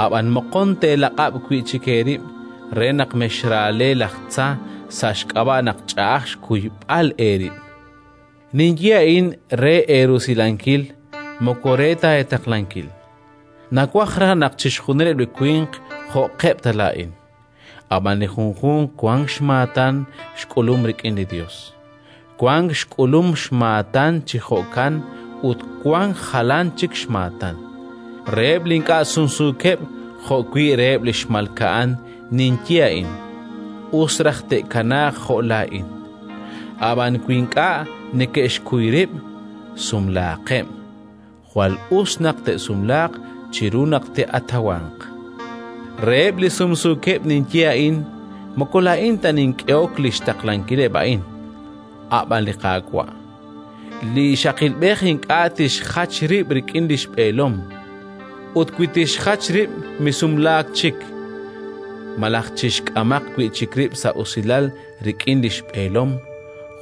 S2: Ab'an moqon teelaq'ab' wi' chik eerib' re naq mexraale laj tza sa' xk'ab'a' naq ch'a'aj xkuyb'al eerib'. Ninye a'in re eerusilankil, moko re ta eetaqlankil. Nawaj raj naq chixjunileb' li winq jo'qeb' ta laa'in, ab'an li junjunq wank xmaatan xk'ulum rik'in li Yos. Wank xk'ulum xmaatan chi jo'kan ut wank jalan chik xmaatan. Reheb' li ink'a' sumsuukeb' jo'wi' reheb' li xmalka'an ninye a'in: us raj te'kanaaq jo' laa'in. Ab'an wi ink'a' neke'xkuy rib', sumlaaqeb'. Jwal us naq te'sumlaaq chiru naq te'atawanq. Reheb' li sumsuukeb' ninye a'in: moko laa'in ta nink'ehok li xtaqlankileb' a'in, a' b'an li Qaawa'. Li ixaqilb'ej ink'a' tixjach rib' rik'in li xb'eelom, ut wi tixjach rib', misumlaak chik, malaj chixk'amaq wi' chik rib' sa' usilal rik'in li xb'eelom.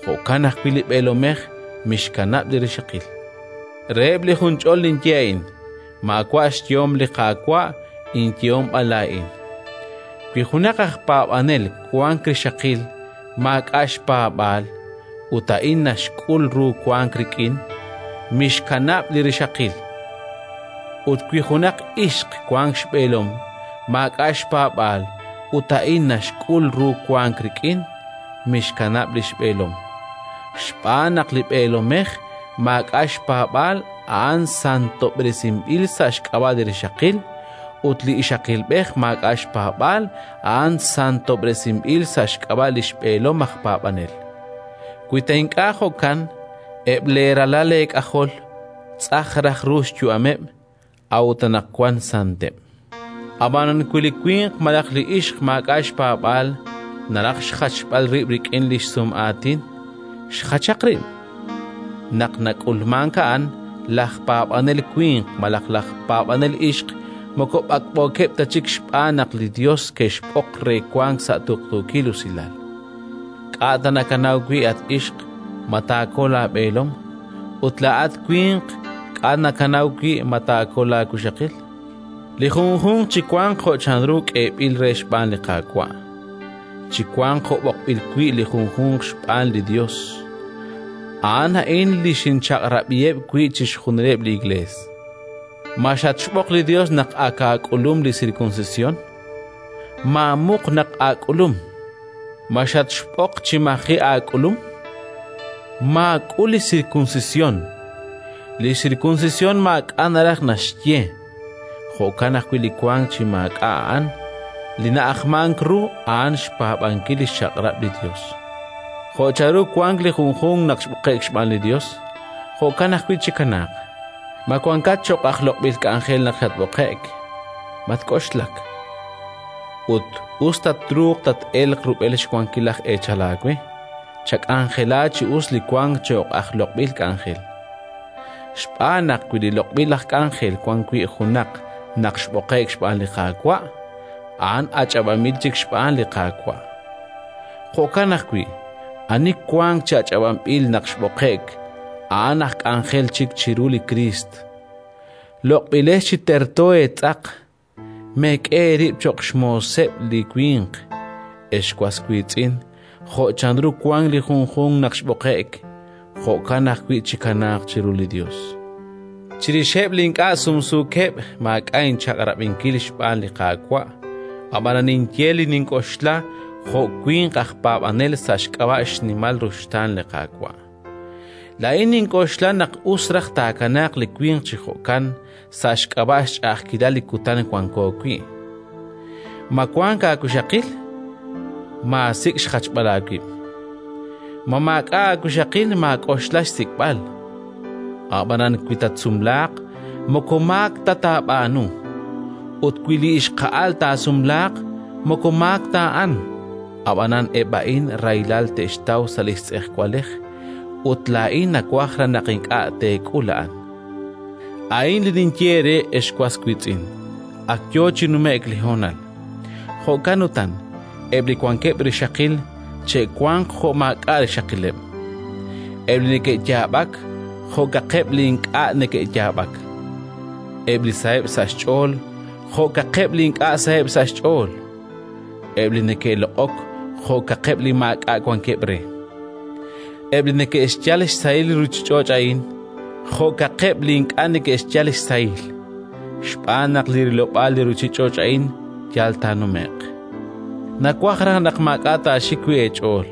S2: Jo'kan ajwi' li b'eelomej mixkanab' li rixaqil. Reheb' li junch'ol ninye a'in: maawa' xyehom li Qaawa', inyehom b'an laa'in. Wi junaq aj paab'anel wank rixaqil maak'a' xpaab'aal ut a'in naxk'ul ru wank rik'in, mixkanab' li rixaqil. Ut wi junaq ixq wank xb'eelom maak'a' xpaab'aal ut a'in naxk'ul ru wank rik'in, mixkanab' li xb'eelom. Xb'aan naq li b'eelomej maak'a' xpaab'aal a'an santob'resinb'il sa' xk'ab'a' li rixaqil, ut li ixaqilb'ej maak'a' xpaab'aal a'an santob'resinb'il sa' xk'ab'a' li xb'eelom aj paab'anel. Wi ta ink'a' jo'kan, eb' leeralal eek'ajol tz'aj raj ru xyu'ameb', a'ut anaqwan santeb'. Ab'anan wi li winq malaj li ixq maak'a' xpaab'aal naraj xjachb'al rib' rik'in li xsum'aatin, xjachaq rib'. Naq nak'ulmank a'an, laj paab'anel winq malaj laj paab'anel ixq moko b'ak'b'ookeb' ta chik xb'aan naq li Yos ke'xb'oq re wank sa' tuqtuukil usilal. K'a' ta nakanaw wi', at ixq, ma taakol laab'eelom? Ut laa'at winq, k'a' nakanaw wi' ma taakol laawixaqil? Li junjunq chiwanq jo' chanru k'eeb'il re xb'aan li Qaawa', chiwanq jo' b'oqb'il wi' li junjunq xb'aan li Yos. A'an a'in li xinchaq'rab'iheb' wi' chixjunileb' li Iklees. Ma xatxb'oq li Yos naq ak aak'ulum li sirkunsisyon? Maamuq naq aak'ulum. Ma xatxb'oq chi maji' aak'ulum? Maak'ul li sirkunsisyon. Li sirkunsisyon maak'a' naraj naxye. Jo'kan ajwi' li wank chi maak'a' a'an, li na'ajmank ru a'an xpaab'ankil li xchaq'rab' li Yos. Jo' chanru wank li junjunq naq xb'oqe'k xb'aan li Yos, jo'kan ajwi' chikanaaq. Ma wankat cho'q aj loq'b'il k'anjel naq xatb'oqe'k? Matk'oxlak. Ut us tatruuq tat-elq rub'el xwankil laj eechal aawe, chak'anjela chi us li wank cho'q aj loq'b'il k'anjel. Xb'aan naq wi li loq'b'il aj k'anjel wan wi' junaq naq xb'oqe'k xb'aan li Qaawa', a'an ach'ab'anb'il chik xb'aan li Qaawa'. Jo'kan ajwi', ani wank chi ach'ab'anb'il naq xb'oqe'k, a'an aj k'anjel chik chiru li Kriist. Loq'b'ilex chi terto eetz'aq, meek'e eerib' cho'q xmooseb' li winq, ex was wiitz'in, jo' chanru wank li junjunq naq xb'oqe'k, jo'kan ajwi' chikanaaq chiru li Yos. Chirixeb' li ink'a' sumsuukeb' maak'a' inchaq'rab'inkil xb'aan li Qaawa', ab'anan ninye li nink'oxla jo' winq aj paab'anel sa' xk'ab'a' xnimal ruxtaan li Qaawa'. Laa'in nink'oxla naq us raj taakanaaq li winq chi jo'kan sa' xk'ab'a' xch'a'ajkilal li kutan wanko wi'. Ma wank aawixaqil? Maasik' xjachb'al aawib'. Ma maak'a' aawixaqil? Maak'oxla xsik'b'al. Ab'anan wi tatsumlaaq, moko maak ta taab'aanu; ut wi li ixqa'al taasumlaaq, moko maak ta a'an. Ab'anan eb' a'in rahilal te'xtaw sa' li xtz'ejwalej, ut laa'in nawaj raj naq ink'a' teek'ul a'an. A'in li ninye eere, ex was wiitz'in: ak yo chi nume'k li honal. Jo'kan utan, eb' li wankeb' rixaqil che'wanq jo' maak'a' rixaqileb', eb' li neke'yaab'ak jo'kaqeb' li ink'a' neke'yaab'ak, eb' li saheb' sa' xch'ool jo'kaqeb' li ink'a' saheb' sa' xch'ool, eb' li neke'loq'ok jo'kaqeb' li maak'a' wankeb' re, eb' li neke'xyal xsahil li ruuchich'och' a'in jo'kaqeb' li ink'a' neke'xyal xsahil, xb'aan naq li rilob'aal li ruuchich'och' a'in yal taanume'q. Nawaj raj naq maak'a' taaxik wi' eech'ool.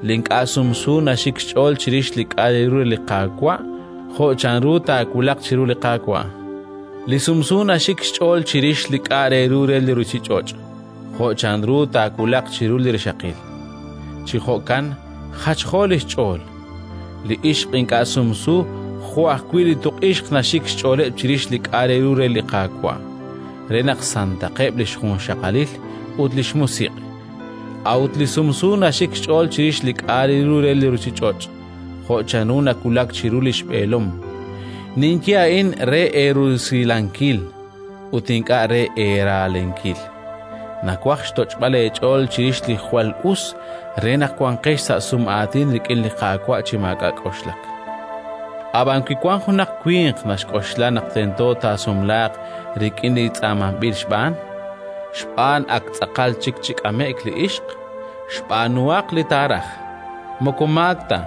S2: Li ink'a' sumsu naxik xch'ool chirix li k'a' re ru li Qaawa' jo' chanru taawulaq chiru li Qaawa'. Li sumsu naxik xch'ool chirix li k'a' re ru re li ruuchich'och' jo' chanru taawulaq chiru li rixaqil. Chi jo'kan jachjo li xch'ool. Li ixq ink'a' sumsu jo' ajwi' li tuq'ixq naxik xch'ooleb' chirix li k'a' re ru re li Qaawa', re naq santaqeb' li xjunxaqalil ut li xmusiq'. A'ut li sumsu naxik xch'ool chirix li k'a' re ru re li ruuchich'och', jo' chanru nawulak chiru li xb'eelom. Ninye a'in re eerusilankil ut ink'a' re eeraalenkil. Nawaj xtoch'b'al eech'ool chirix li jwal us re naq wanqex sa' sum'aatin rik'in li Qaawa' chi maak'a' k'oxlak. Ab'an wi wank junaq winq naxk'oxla naq tento taasumlaaq rik'in li tz'aamanb'il xb'aan, xb'aan ak tz'aqal chik chi k'ame'k li ixq, xb'aanuhaq li taaraj. Moko maak ta,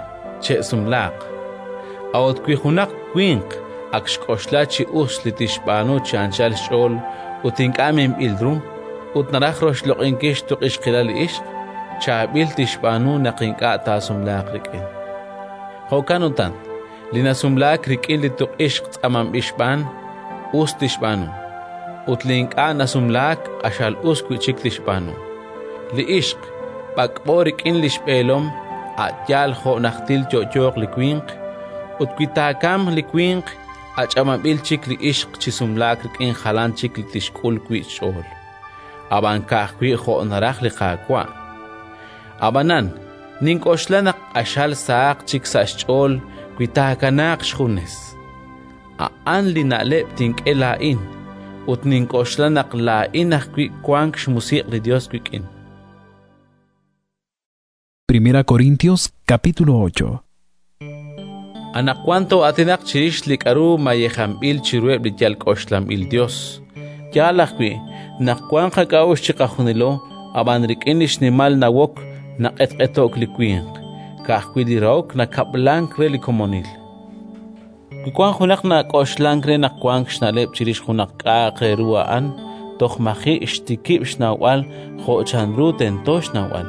S2: che'sumlaaq. A'ut wi junaq winq ak xk'oxla chi us li tixb'aanu chi anchal xch'ool ut ink'a' minb'il ru, ut naraj roxloq'inkil xtuq'ixqilal li ixq, chaab'il tixb'aanu naq ink'a' taasumlaaq rik'in. Jo'kan utan, li nasumlaak rik'in li tuq'ixq tz'aamanb'il xb'aan, us tixb'aanu, ut li ink'a' nasumlaak q'axal us wi' chik tixb'aanu. Li ixq b'ak'b'o rik'in li xb'eelom a' yaal jo' najtil yo'yooq li winq, ut wi taakamq li winq, ach'ab'anb'il chik li ixq chi sumlaak rik'in jalan chik li tixk'ul wi' xch'ool, ab'an ka'ajwi' jo' naraj li Qaawa'. Ab'anan nink'oxla naq q'axal sahaq chik sa' xch'ool wi taakanaaq xjunes. A'an li na'leb' tink'e laa'in, ut nink'oxla naq laa'in ajwi' wank xmusiq' li Yos wik'in.
S3: Primera Corintios capítulo ocho.
S2: Anaqwan too'aatinaq chirix li k'aru mayejanb'il chiruheb' li yal k'oxlanb'il Yos. Yaal ajwi' naq wank qak'a'uxl chiqajunilo, ab'an rik'in li xnimal nawok naq'etq'eto'k li winq, ka'ajwi' li rahok nakab'lank re li komonil. Wi wank junaq nak'oxlank re naq wank xna'leb' chirix junaq k'a'aq re ru a'an, toj maji' xtikib' xnawb'al jo' chanru tento xnawb'al.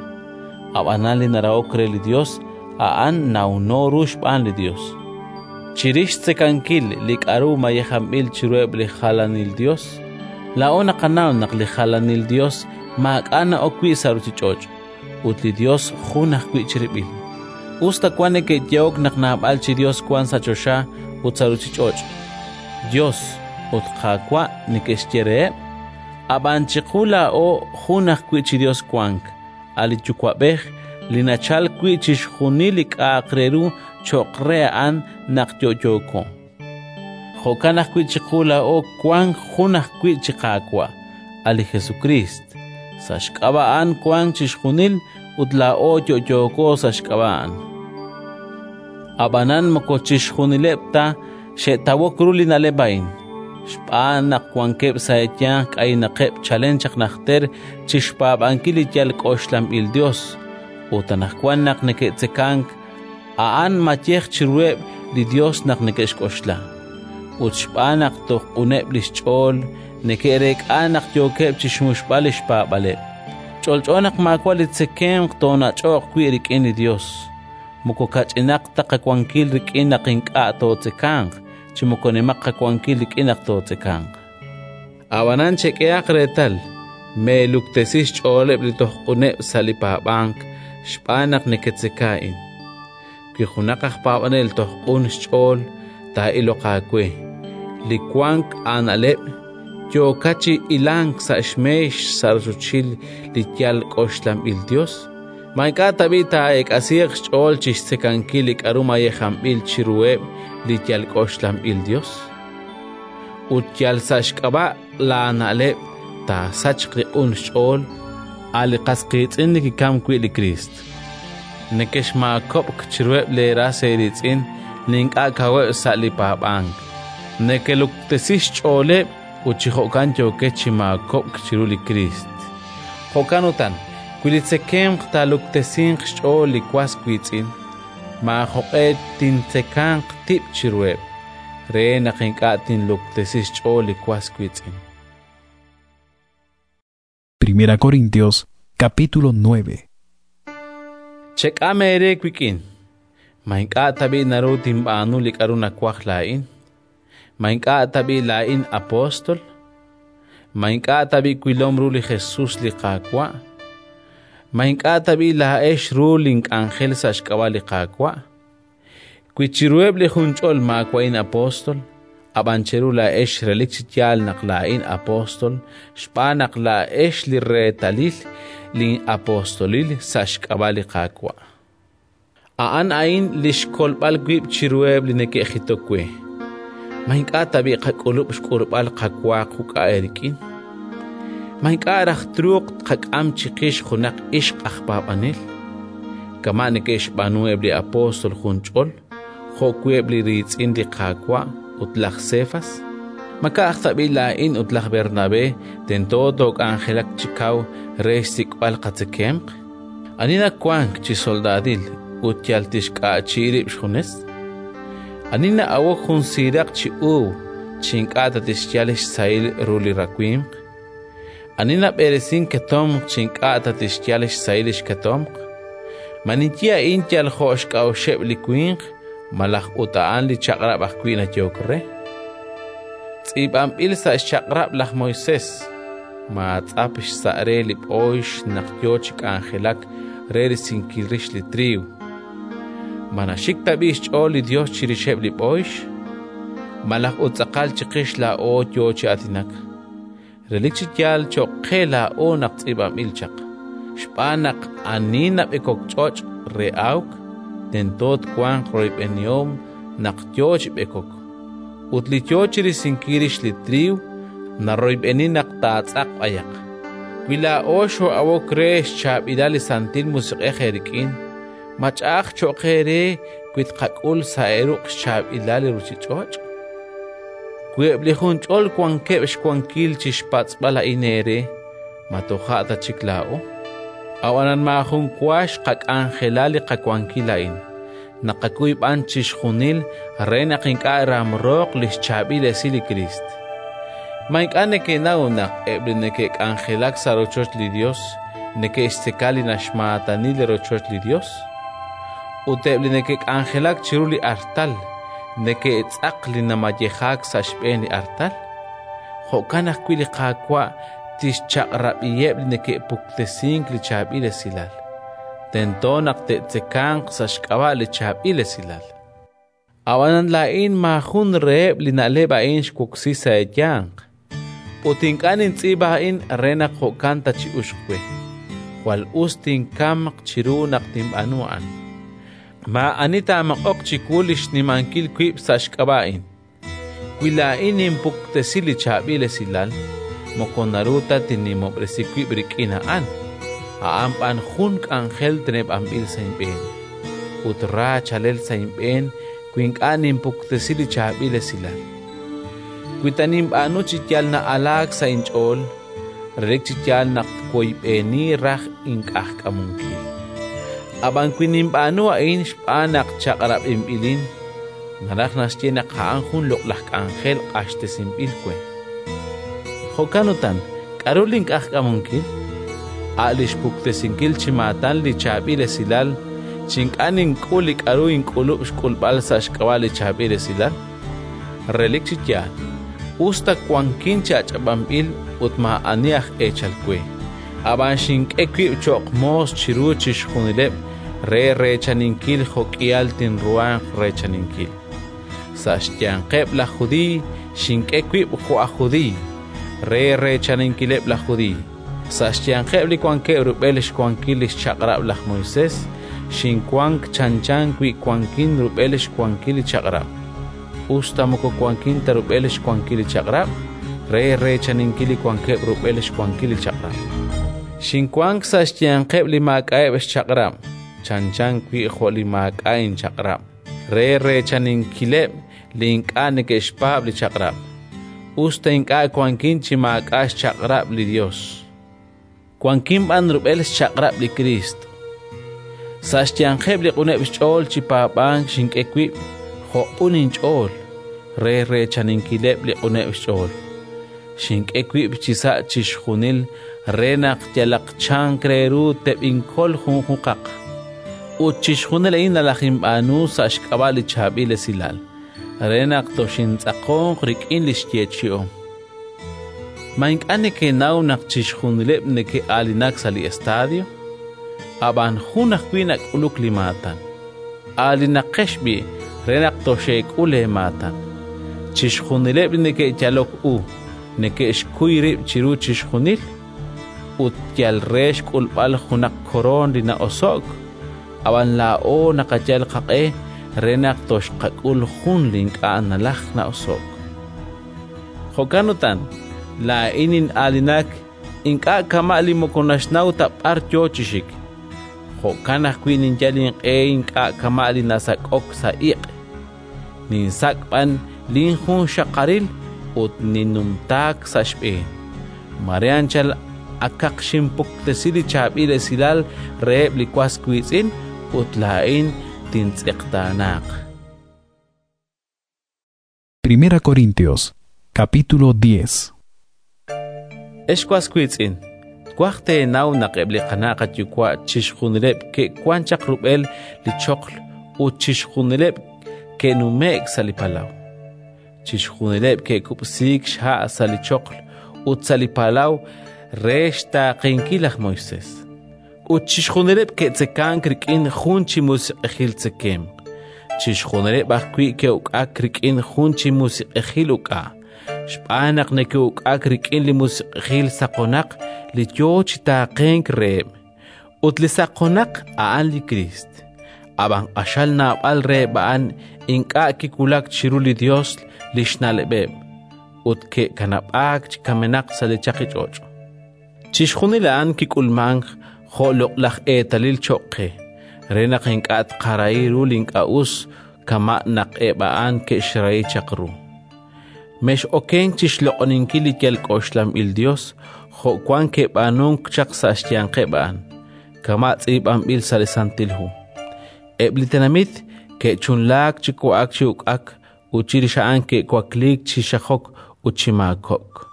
S2: Ab'anan li narahok re li Yos, a'an nawno ru xb'aan li Yos. Chirix xtzekankil li k'aru mayejanb'il chiruheb' li jalanil Yos, laa'o naqanaw naq li jalanil Yos maak'a' na'ok wi' sa' ruuchich'och', ut li Yos jun ajwi' chirib'il. Us ta wank neke'yehok naq naab'al chi Yos wank sa' choxa ut sa' ruuchich'och', Yos ut Qaawa' neke'xye reheb', ab'an chiqu laa'o jun ajwi' chi Yos wank, a' li Yuwa'b'ej li nachalk wi' chixjunil li k'a'aq re ru cho'q re a'an naq yo'yooko. Jo'kan ajwi' chiqu laa'o wank jun ajwi' chi Qaawa', a' li Jesukriist. Sa' xk'ab'a' a'an wank chixjunil ut laa'o yo'yooko sa' xk'ab'a' a'an. Ab'anan moko chixjunileb' ta xe'tawok ru li na'leb' a'in, xb'aan naq wankeb' sa' eeyanq k'aynaqeb' chalen chaq najter chi xpaab'ankil li yal k'oxlanb'il Yos, ut anaqwan naq neke'tzekank, a'an mayej chiruheb' li Yos naq neke'xk'oxla. Ut xb'aan naq toj q'uneb' li xch'ool, neke'reek'a naq yookeb' chi xmuxb'al li xpaab'aleb'. Ch'olch'o naq maawa' li tzekemq toonach'oq wi' rik'in li Yos. Moko kach'inaq ta qawankil rik'in naq ink'a' tootzekanq, chi moko nimaq qawankil rik'in naq tootzekanq. Ab'anan chek'ehaq reetal, meeluktesi xch'ooleb' li toj q'uneb' sa' li paab'ank xb'aan naq neketzeka a'in. Wi junaq aj paab'anel toj q'un xch'ool, taa'iloq aawe. Li wank aana'leb' yookat chi ilank sa' xmeex sa' rochochil li yal k'oxlanb'il Yos, ma ink'a' tab'i' taa'eek'asiiq xch'ool chi xtzekankil li k'aru mayejanb'il chiruheb' li yal k'oxlanb'il Yos? Ut yal sa' xk'ab'a' laana'leb' taasachq li q'un xch'ool. A' li qas qiitz'in li kikamk wi' li Kriist. Nekexmaakob'k chiruheb' leeras eeriitz'in li ink'a' kaweb' sa' li paab'ank. Nekeluktesi xch'ooleb' ut chi jo'kan yookex chi maakob'k chiru li Kriist. Jo'kan utan, wi li tzekemq taaluktesinq xch'ool li was wiitz'in, maajoq'e tintzekanq tib' chiruheb', re naq ink'a' tinluktesi xch'ool li was wiitz'in.
S3: Primera Corintios capítulo nueve.
S2: Chek'am eere wik'in. Ma ink'a' tab'i' naru tinb'aanu li k'aru nawaj laa'in? Ma ink'a' tab'i' laa'in apóstol? Ma ink'a' tab'i' wilom ru li Jesus li Qaawa'? Ma ink'a' tab'i' laa'ex ru link'anjel sa' xk'ab'a' li Qaawa'? Wi chiruheb' li junch'ol maawa'in apóstol, ab'an cheru laa'ex relik chi yaal naq laa'in apóstol, xb'aan naq laa'ex li reetalil lin'apostolil sa' xk'ab'a' li Qaawa'. A'an a'in li xkolb'al wib' chiruheb' li neke'jitok we. Ma ink'a' tab'i' qak'ulub' xk'ulb'al qawa quk'a eerik'in? Ma ink'a' raj truuq tqak'am chiqix junaq ixq aj paab'anel? Kama' neke'xb'aanu eb' li apóstol junch'ol, jo'wi' eb' li riitz'in li Qaawa' ut laj Sefas? Ma ka'aj tab'i' laa'in ut laj Bernabé tento took'anjelaq chi kaw re xsik'b'al qatzekemq? Ani nawank chi soldaadil ut yal tixk'a'chi rib' xjunes? Ani na'awok jun siiraq chi uub' chi ink'a' ta tixyal xsahil ru li rawimq? Ani nab'eresink ketomq chi ink'a' ta tixyal xsahil li xketomq? Ma ninye a'in yal jo' xk'a'uxeb' li winq, malaj ut a'an li chaq'rab' ajwi' nayehok re? Tz'iib'anb'il sa' xchaq'rab' laj Moisés: maatz'ap xsa' re li b'ooyx naq yo chi k'anjelak re risinkil rix li triiw. Ma naxik tab'i' xch'ool li Yos chirixeb' li b'ooyx? Malaj ut tz'aqal chiqix laa'o yo chi aatinak? Relik chi yaal cho'q qe laa'o naq tz'iib'anb'il chaq, xb'aan naq ani nab'ekok ch'och' re awk, tento twanq royb'enihom naq yo chi b'ekok. Ut li yo chi risinkil rix li triiw naroyb'eni naq taatz'aq b'ayaq. Wi laa'o xoo'awok re xchaab'ilal li Santil Musiq'ej eerik'in, ma ch'a'aj cho'q eere wi tqak'ul sa' eeruq' xchaab'ilal li ruuchich'och'? Wi eb' li junch'ol wankeb' xwankil chi xpatz'b'al a'in eere, ma toja' ta chik laa'o? Ab'anan maajun wa xqak'anjela li qawankil a'in. Naqakuy b'an chixjunil re naq ink'a' ramrooq li xchaab'il esil li Kriist. Ma ink'a' nekenaw naq eb' li neke'k'anjelak sa' rochoch li Yos neke'xtzeka li naxmaatani li rochoch li Yos? Ut eb' li neke'k'anjelak chiru li artal neke'tz'aq li namayejaak sa' xb'een li artal? Jo'kan ajwi' li Qaawa' tixchaq'rab'iheb' li neke'puktesink li chaab'il esilal. Tento naq te'tzekanq sa' xk'ab'a' li chaab'il esilal. Ab'anan laa'in maajun reheb' li na'leb' a'in xwoksi sa' eeyanq. Ut ink'a' nintz'iib'a a'in re naq jo'kan ta chi'uxq we. Jwal us tinkamq chiru naq tinb'aanu a'an. Maa'ani taamaq'oq chiwu li xnimankil wib' sa' xk'ab'a' a'in. Wi laa'in ninpuktesi li chaab'il esilal, moko naru ta tinnimob'resi wib' rik'in a'an. A'an b'an jun k'anjel teneb'anb'il sa' inb'een. Ut ra chalel sa' inb'een wi ink'a' ninpuktesi li chaab'il esilal. Wi ta ninb'aanu chi yal na'alaak sa' inch'ool, relik chi yaal naq twoyb'eni raj ink'ajk'amunkil. Ab'an wi ninb'aanu a'in xb'aan naq chaq'rab'inb'ilin, naraj naxye naq a'an jun loq'laj k'anjel q'axtesinb'il we. Jo'kan utan, k'aru link'ajk'amunkil? A' li xpuktesinkil chi maatan li chaab'il esilal, chi ink'a' nink'ul li k'aru ink'ulub' xk'ulb'al sa' xk'ab'a' li chaab'il esilal? Relik chi yaal, us ta wankin chi ach'ab'anb'il ut maa'ani aj eechal we, ab'an xink'e wib' cho'q moos chiru chixjunileb' re reechaninkil jo'k'ihal tinruhanq reechaninkil. Sa' xyanqeb' laj Judiiy xink'e wib' jo' aj Judiiy re reechaninkileb' laj Judiiy. Sa' xyanqeb' li wankeb' rub'el xwankil li xchaq'rab' laj Moisés, xinwank chanchan wi wankin rub'el xwankil li chaq'rab'. Us ta moko wankin ta rub'el xwankil li chaq'rab', re reechaninkil li wankeb' rub'el xwankil li chaq'rab'. Xinwank sa' xyanqeb' li maak'a'eb' xchaq'rab', chanchan wi' jo' li maak'a' inchaq'rab', re reechaninkileb' li ink'a' neke'xpaab' li chaq'rab', us ta ink'a' wankin chi maak'a' xchaq'rab' li Yos, wankin b'an rub'el xchaq'rab' li Kriist. Sa' xyanqeb' li q'uneb' xch'ool chi paab'ank xink'e wib' jo' q'un inch'ool re reechaninkileb' li q'uneb' xch'ool. Xink'e wib' chisa' chixjunil re naq yalaq chank re ru teb'inkol junjunqaq. Ut chixjunil a'in nalajinb'aanu sa' xk'ab'a' li Chaab'il Esilal, re naq toxintz'aqonq rik'in li xyeechi'om. Ma ink'a' nekenaw naq chixjunileb' neke'aalinak sa' li estadio? Ab'an jun ajwi' nak'uluk li maatan. Aalinaqex b'i' re naq toxeek'ul eemaatan. Chixjunileb' li neke'yalok u neke'xkuy rib' chiru chixjunil, ut yal re xk'ulb'al junaq koroon li na'oso'k, ab'an laa'o naqayal qaq'e re naq toxqak'ul jun li ink'a' nalajk na'oso'k. Jo'kan utan, laa'in nin'aalinak ink'a' kama' li moko naxnaw ta b'ar yo chi xik. Jo'kan ajwi' ninyal inq'e ink'a' kama' li nasak'ok sa' iq'. Ninsak' b'an linjunxaqaril ut ninnumtaak sa' xb'een. Mare anchal akaq xinpuktesi li Chaab'il Esilal reheb' li was wiitz'in ut laa'in tintz'eqtaanaaq.
S3: Primera Corintios, capítulo diez.
S2: Ex was wiitz'in, twaj teenaw naq eb' li qana' qayuwa' chixjunileb' ke'wank chaq rub'el li choql ut chixjunileb' ke'nume'k sa' li palaw. Chixjunileb' ke'kub'siik xha' sa' li choql ut sa' li palaw re xtaaqenkil laj Moisés. Ut chixjunileb' ke'tzekank rik'in jun chi musiq'ejil tzekemq. Chixjunileb' ajwi' ke'uk'ak rik'in jun chi musiq'ejil uk'a', xb'aan naq neke'uk'ak rik'in li musiq'ejil saqonaq li yo chi taaqenk reheb'. Ut li saqonaq a'an li Kriist. Ab'an q'axal naab'al reheb' a'an ink'a' kiwulak chiru li Yos li xna'leb'eb', ut ke'kanab'aak chi kamenaq sa' li chaqich'och'. Chixjunil a'an kik'ulmank jo' loq'laj eetalil cho'q qe, re naq ink'a' tqarahi ru li ink'a' us kama' naq eb' a'an ke'xrahi chaq ru. Mex'okenk chi xloq'oninkil li yal k'oxlanb'il Yos jo' wank ke'b'aanunk chaq sa' xyanqeb' a'an, kama' tz'iib'anb'il sa' li Santil Hu. Eb' li tenamit ke'chunlaak chi wa'ak chi uk'ak ut chirix a'an ke'wakliik chi xajok ut chi maakob'k.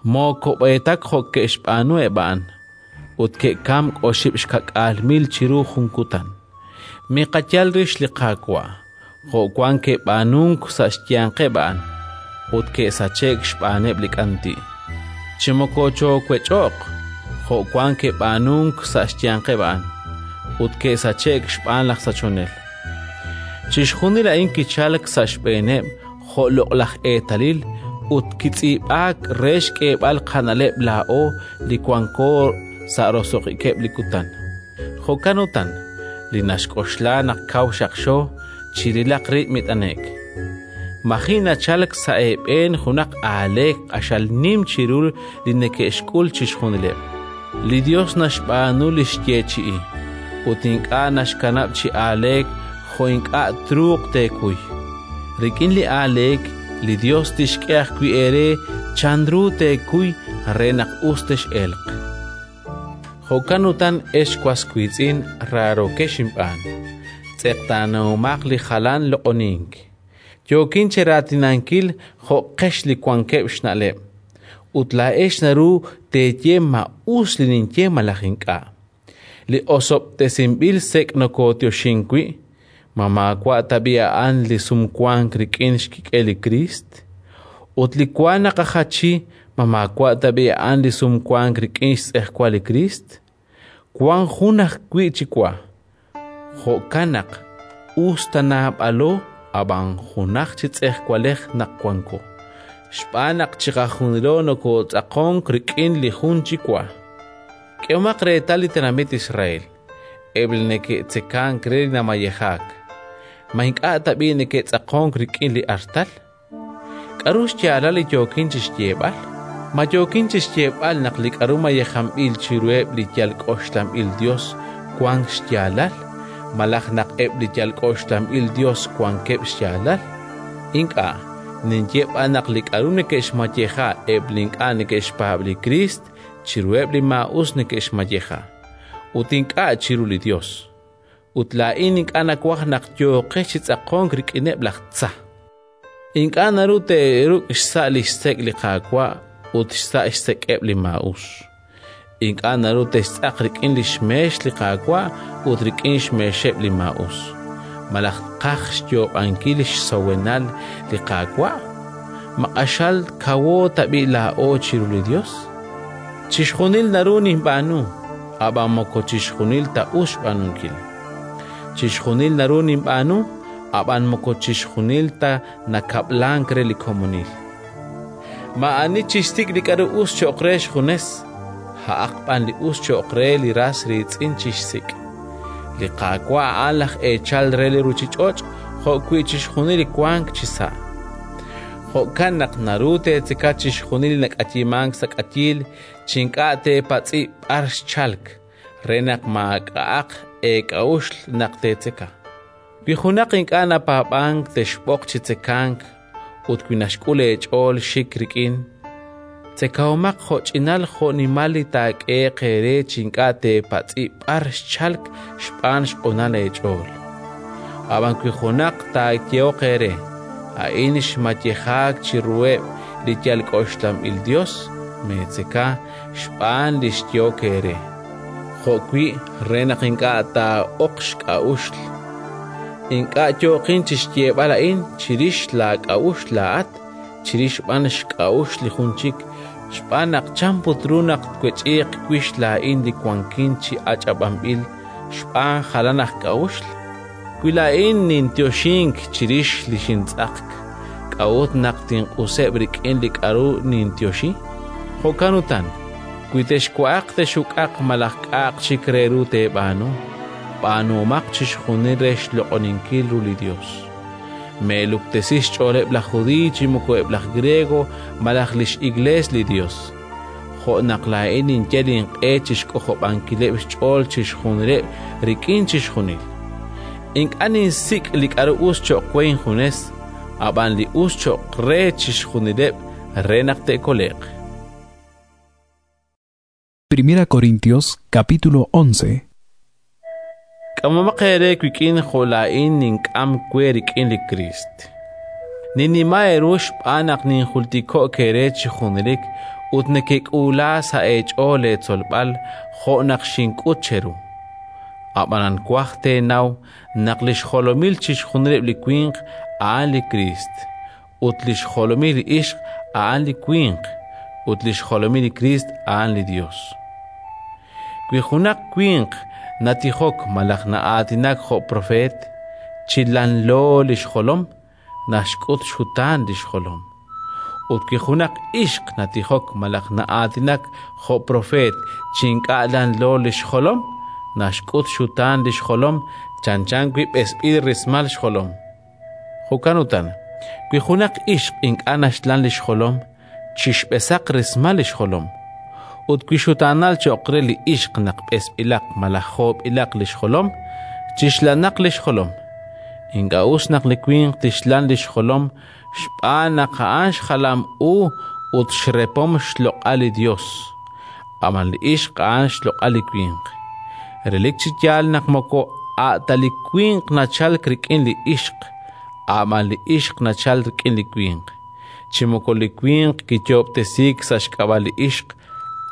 S2: Mookob'eetak jo' ke'xb'aanu eb' a'an, ut ke'kamk oxib' xka'k'aal mil chiru jun kutan. Miqayal rix li Qaawa', jo' wank ke'b'aanunk sa' xyanqeb' a'an, ut ke'sache'k xb'aaneb' li k'anti'. Chi moko choowech'oq, jo' wank ke'b'aanunk sa' xyanqeb' a'an, ut ke'sache'k xb'aan laj sachonel. Chixjunil a'in kichalk sa' xb'eeneb' jo' loq'laj eetalil ut kitz'iib'aak re xk'eeb'al qana'leb' laa'o li wanko sa' roso'jikeb' li kutan. Jo'kan utan, li naxk'oxla naq kaw xaqxo, chirilaq rib' mit'ane'k. Maji' nachalk sa' eeb'een junaq aaleek q'axal nim chiru li neke'xk'ul chixjunileb'. Li Yos naxb'aanu li xyeechi'i, ut ink'a' naxkanab' chi aaleek jo' ink'a' truuq teekuy. Rik'in li aaleek, li Yos tixk'e ajwi' eere chanru teekuy re naq us tex'elq. Jo'kan utan, ex was wiitz'in raarokex inb'aan, tz'eqtaanahomaq li jalan loq'onink. Yookin cheraatinankil jo' qex li wankeb' xna'leb', ut laa'ex naru teeye ma us li ninye malaj ink'a'. Li osob'tesinb'il sek' nokootioxink wi', ma maawa' tab'i' a'an li sumwank rik'in xkik'el li Kriist? Ut li wa naqajachi, ma maawa' tab'i' a'an li sumwank rik'in xtz'ejwal li Kriist? Wank jun ajwi' chi wa. Jo'kan naq us ta naab'alo, ab'an junaj chi tz'ejwalej naq wanko, xb'aan naq chiqajunilo nokootz'aqonk rik'in li jun chi wa. K'ehomaq reetal li tenamit Israel, eb' li neke'tzekank re li namayejaak. Ma ink'a' tab'i' neke'tz'aqonk rik'in li artal? K'aru xyaalal li yookin chi xyeeb'al? Ma yookin chi xyeeb'al naq li k'aru mayejanb'il chiruheb' li yal k'oxlanb'il yos wank xyaalal, malaj naq eb' li yal k'oxlanb'il yos wankeb' xyaalal? Ink'a', ninye b'an naq li k'aru neke'xmayeja eb' li ink'a' neke'xpaab' li Kriist chiruheb' li maa'us neke'xmayeja, ut ink'a' chiru li Yos. Ut laa'in ink'a' nawaj naq yooqex chi tz'aqonk rik'ineb' laj tza. Ink'a' naru teeruk' xsa' li xsek' li Qaawa' ut xsa' xsek'eb' li maa'us. Ink'a' naru textz'aq rik'in li xmeex li Qaawa' ut rik'in xmeexeb' li maa'us. Malaj tqaj xyoob'ankil xsowenal li Qaawa'? Ma q'axal kawo tab'i' laa'o chiru li Yos? Chixjunil naru ninb'aanu, ab'an moko chixjunil ta us xb'aanunkil. Chixjunil naru ninb'aanu, ab'an moko chixjunil ta nakab'lank re li komonil. Maa'ani chixsik' li k'aru us cho'q re xjunes, a'aq b'an li us cho'q re li ras riitz'in chixsik'. Li Qaawa' a'an laj eechal re li ruuchich'och' jo'wi' chixjunil li wank chisa'. Jo'kan naq naru teetzeka chixjunil li nak'ayimank sa' k'ayiil chi ink'a' teepatz'i b'ar xchalk, re naq maak'a'aq eek'a'uxl naq teetzeka. Wi junaq ink'a' napaab'ank texb'oq chi tzekank ut wi naxk'ul eech'ool xik rik'in, tzekahomaq jo'ch'inal jo'nimal li taak'ehe'q eere chi ink'a' teepatz'i b'ar xchalk xb'aan xq'unal eech'ool. Ab'an wi junaq taayehoq eere: “A'in xmayejaak chiruheb' li yal k'oxlanb'il yos”, meetzeka xb'aan li xyehok eere, jo'wi' re naq ink'a' taa'oq xk'a'uxl. Ink'a' yooqin chi xyeeb'al a'in chirix laak'a'uxl laa'at, chirix b'an xk'a'uxl li jun chik, xb'aan naq chan put ru naq twech'iiq wix laa'in li wankin chi ach'ab'anb'il xb'aan jalan aj k'a'uxl? Wi laa'in ninyoxink chirix li xintz'aqk, k'a'ut naq tinq'useb' rik'in li k'aru ninyoxi? Jo'kan utan, wi texwa'aq tex'uk'aq malaj k'a'aq chik re ru teeb'aanu, b'aanuhomaq chixjunil re xloq'oninkil ru li Yos. Meeluktesi xch'ooleb' laj Judiiy chi moko eb' laj Griego malaj li x'Iklees li Yos. Jo' naq laa'in ninyal inq'e chi xk'ojob'ankileb' xch'ool chixjunileb' rik'in chixjunil. Ink'a' ninsik' li k'aru us cho'q we injunes, ab'an li us cho'q re chixjunileb' re naq te'kole'q.
S3: Primera Corintios capítulo once.
S2: K'amomaq eere wik'in jo' laa'in nink'am we rik'in li Kriist. Ninnima eeru xb'aan naq ninjultiko'k eere chi junelik ut nekek'uula sa' eech'ool leetzolb'al jo' naq xink'ut cheru. Ab'anan waj teenaw naq li xjolomil chixjunileb' li winq a'an li Kriist, ut li xjolomil li ixq a'an li winq, ut li xjolomil li Kriist a'an li Yos. Wi junaq winq natijok malaj na'aatinak jo' propeet, chi lanlo li xjolom, naxk'ut xxutaan li xjolom. Ut wi junaq ixq natijok malaj na'aatinak jo' propeet chi ink'a' lanlo li xjolom, naxk'ut xxutaan li xjolom chanchan wi' b'esb'il rismal xjolom. Jo'kan utan, wi junaq ixq ink'a' naxlan li xjolom, chixb'esaq rismal li xjolom. Ut wi xutaanal cho'q re li ixq naq b'esb'ilaq malaj joob'ilaq li xjolom, chixlanaq li xjolom. Ink'a' us naq li winq tixlan li xjolom xb'aan naq a'an xjalam u ut xrepom xloq'al li Yos. Ab'an li ixq a'an xloq'al li winq. Relik chi yaal naq moko a' ta li winq nachalk rik'in li ixq, ab'an li ixq nachalk rik'in li winq. Chi moko li winq kiyoob'tesiik sa' xk'ab'a' li ixq,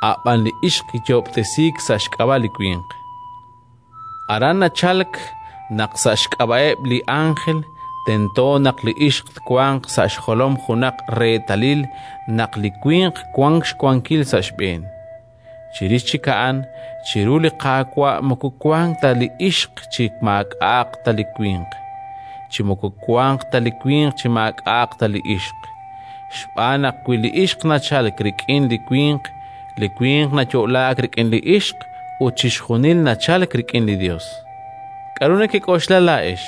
S2: ab'an li ixq kiyoob'tesiik sa' xk'ab'a' li winq. Aran nachalk naq sa' xk'ab'a'eb' li ánjel tento naq li ixq twanq sa' xjolom junaq reetalil naq li winq wank xwankil sa' xb'een. Chirix chik a'an, chiru li Qaawa' moko wank ta li ixq chi maak'a'aq ta li winq, chi moko wanq ta li winq chi maak'a'aq ta li ixq. Xb'aan naq wi li ixq nachalk rik'in li winq, li winq nayo'laak rik'in li ixq ut chixjunil nachalk rik'in li Yos. K'aru nekek'oxla laa'ex?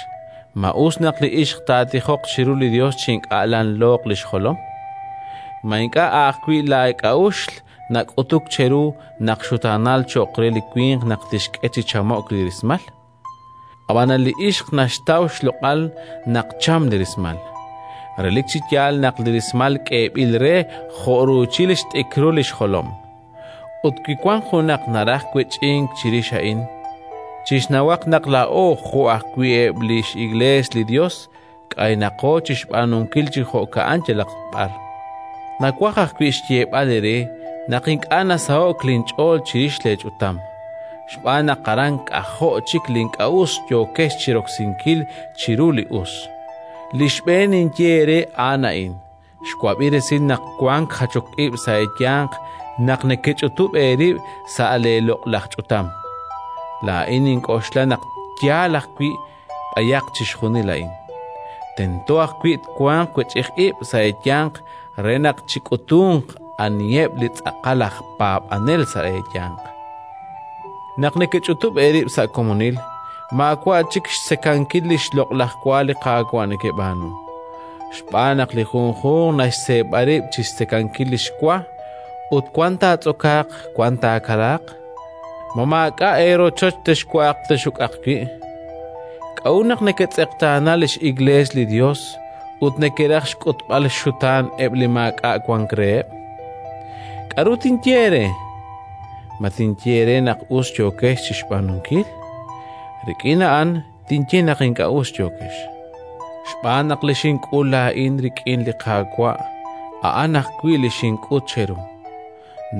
S2: Ma us naq li ixq taatijoq chiru li Yos chi ink'a' lanlooq li xjolom? Ma ink'a' ajwi' laak'a'uxl nak'utuk cheru naq xutaanal cho'q re li winq naq tixk'e chi chamo'k li rismal? Ab'anan li ixq naxtaw xloq'al naq cham li rismal. Relik chi yaal naq li rismal k'eeb'il re jo' ruuchil xt'ikrul li xjolom. Ut wi wank junaq naraj wech'ink chirix a'in, chixnawaq naq laa'o jo' ajwi' eb' li x'Iklees li Yos k'aynaqo chi xb'aanunkil chi jo'ka'an yalaq b'ar. Nawaj ajwi' xyeeb'al eere naq ink'a' nasaho'k linch'ool chirix leech'utam, xb'aan naq aran k'ajo' chik li ink'a' us yookex chi roksinkil chiru li us. Li xb'een ninye eere a'an a'in: xwab'i resil naq wank jachok ib' sa' eeyanq naq nekech'utub' eerib' sa' leeloq'laj ch'utam. Laa'in nink'oxla naq yaal ajwi' b'ayaq chixjunil a'in. Tento ajwi' twanq wech'ij ib' sa' eeyanq re naq chik'utunq aniheb' li tz'aqal aj paab'anel sa' eeyanq. Naq nekech'utub' eerib' sa' komonil, maawa' chik xtzekankil li xloq'laj wa li Qaawa' nekeb'aanu. Xb'aan naq li junjunq naxseeb'a rib' chi xtzekankil li xwa, ut wan taatz'okaaq, wan taakalaaq. Ma maak'a' eerochoch texwa'aq texuk'aq wi'? K'a'ut naq neketz'eqtaana li x'Iklees li Yos ut nekeraj xk'utb'al xxutaan eb' li maak'a' wank reheb'? K'aru tinye eere? Ma tinye eere naq us yookex chi xb'aanunkil? Rik'in a'an tinye naq ink'a' us yookex. Xb'aan naq li xink'ul laa'in rik'in li Qaawa', a'an ajwi' li xink'ut cheru.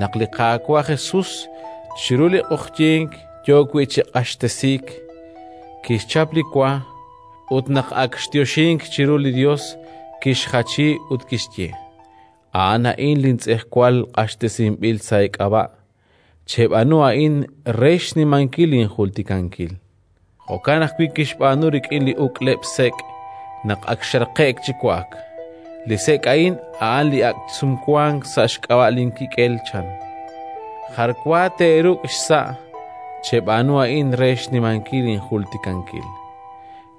S2: Naq li Qaawa' Jesus chiru li q'oqyink yo wi' chi q'axtesiik, kixchap li wa ut naq ak xyoxink chiru li Yos, kixjachi ut kixye: A'an a'in lintz'ejwal q'axtesinb'il sa' eek'ab'a'. Cheb'aanu a'in re xnimankil linjultikankil. Jo'kan ajwi' kixb'aanu rik'in li uk'leb' sek' naq ak xraqe'k chi wa'ak. Li sek' a'in a'an li ak' sumwank sa' xk'ab'a' linkik'el, chan. Jar wa teeruk' xsa', cheb'aanu a'in re xnimankil linjultikankil.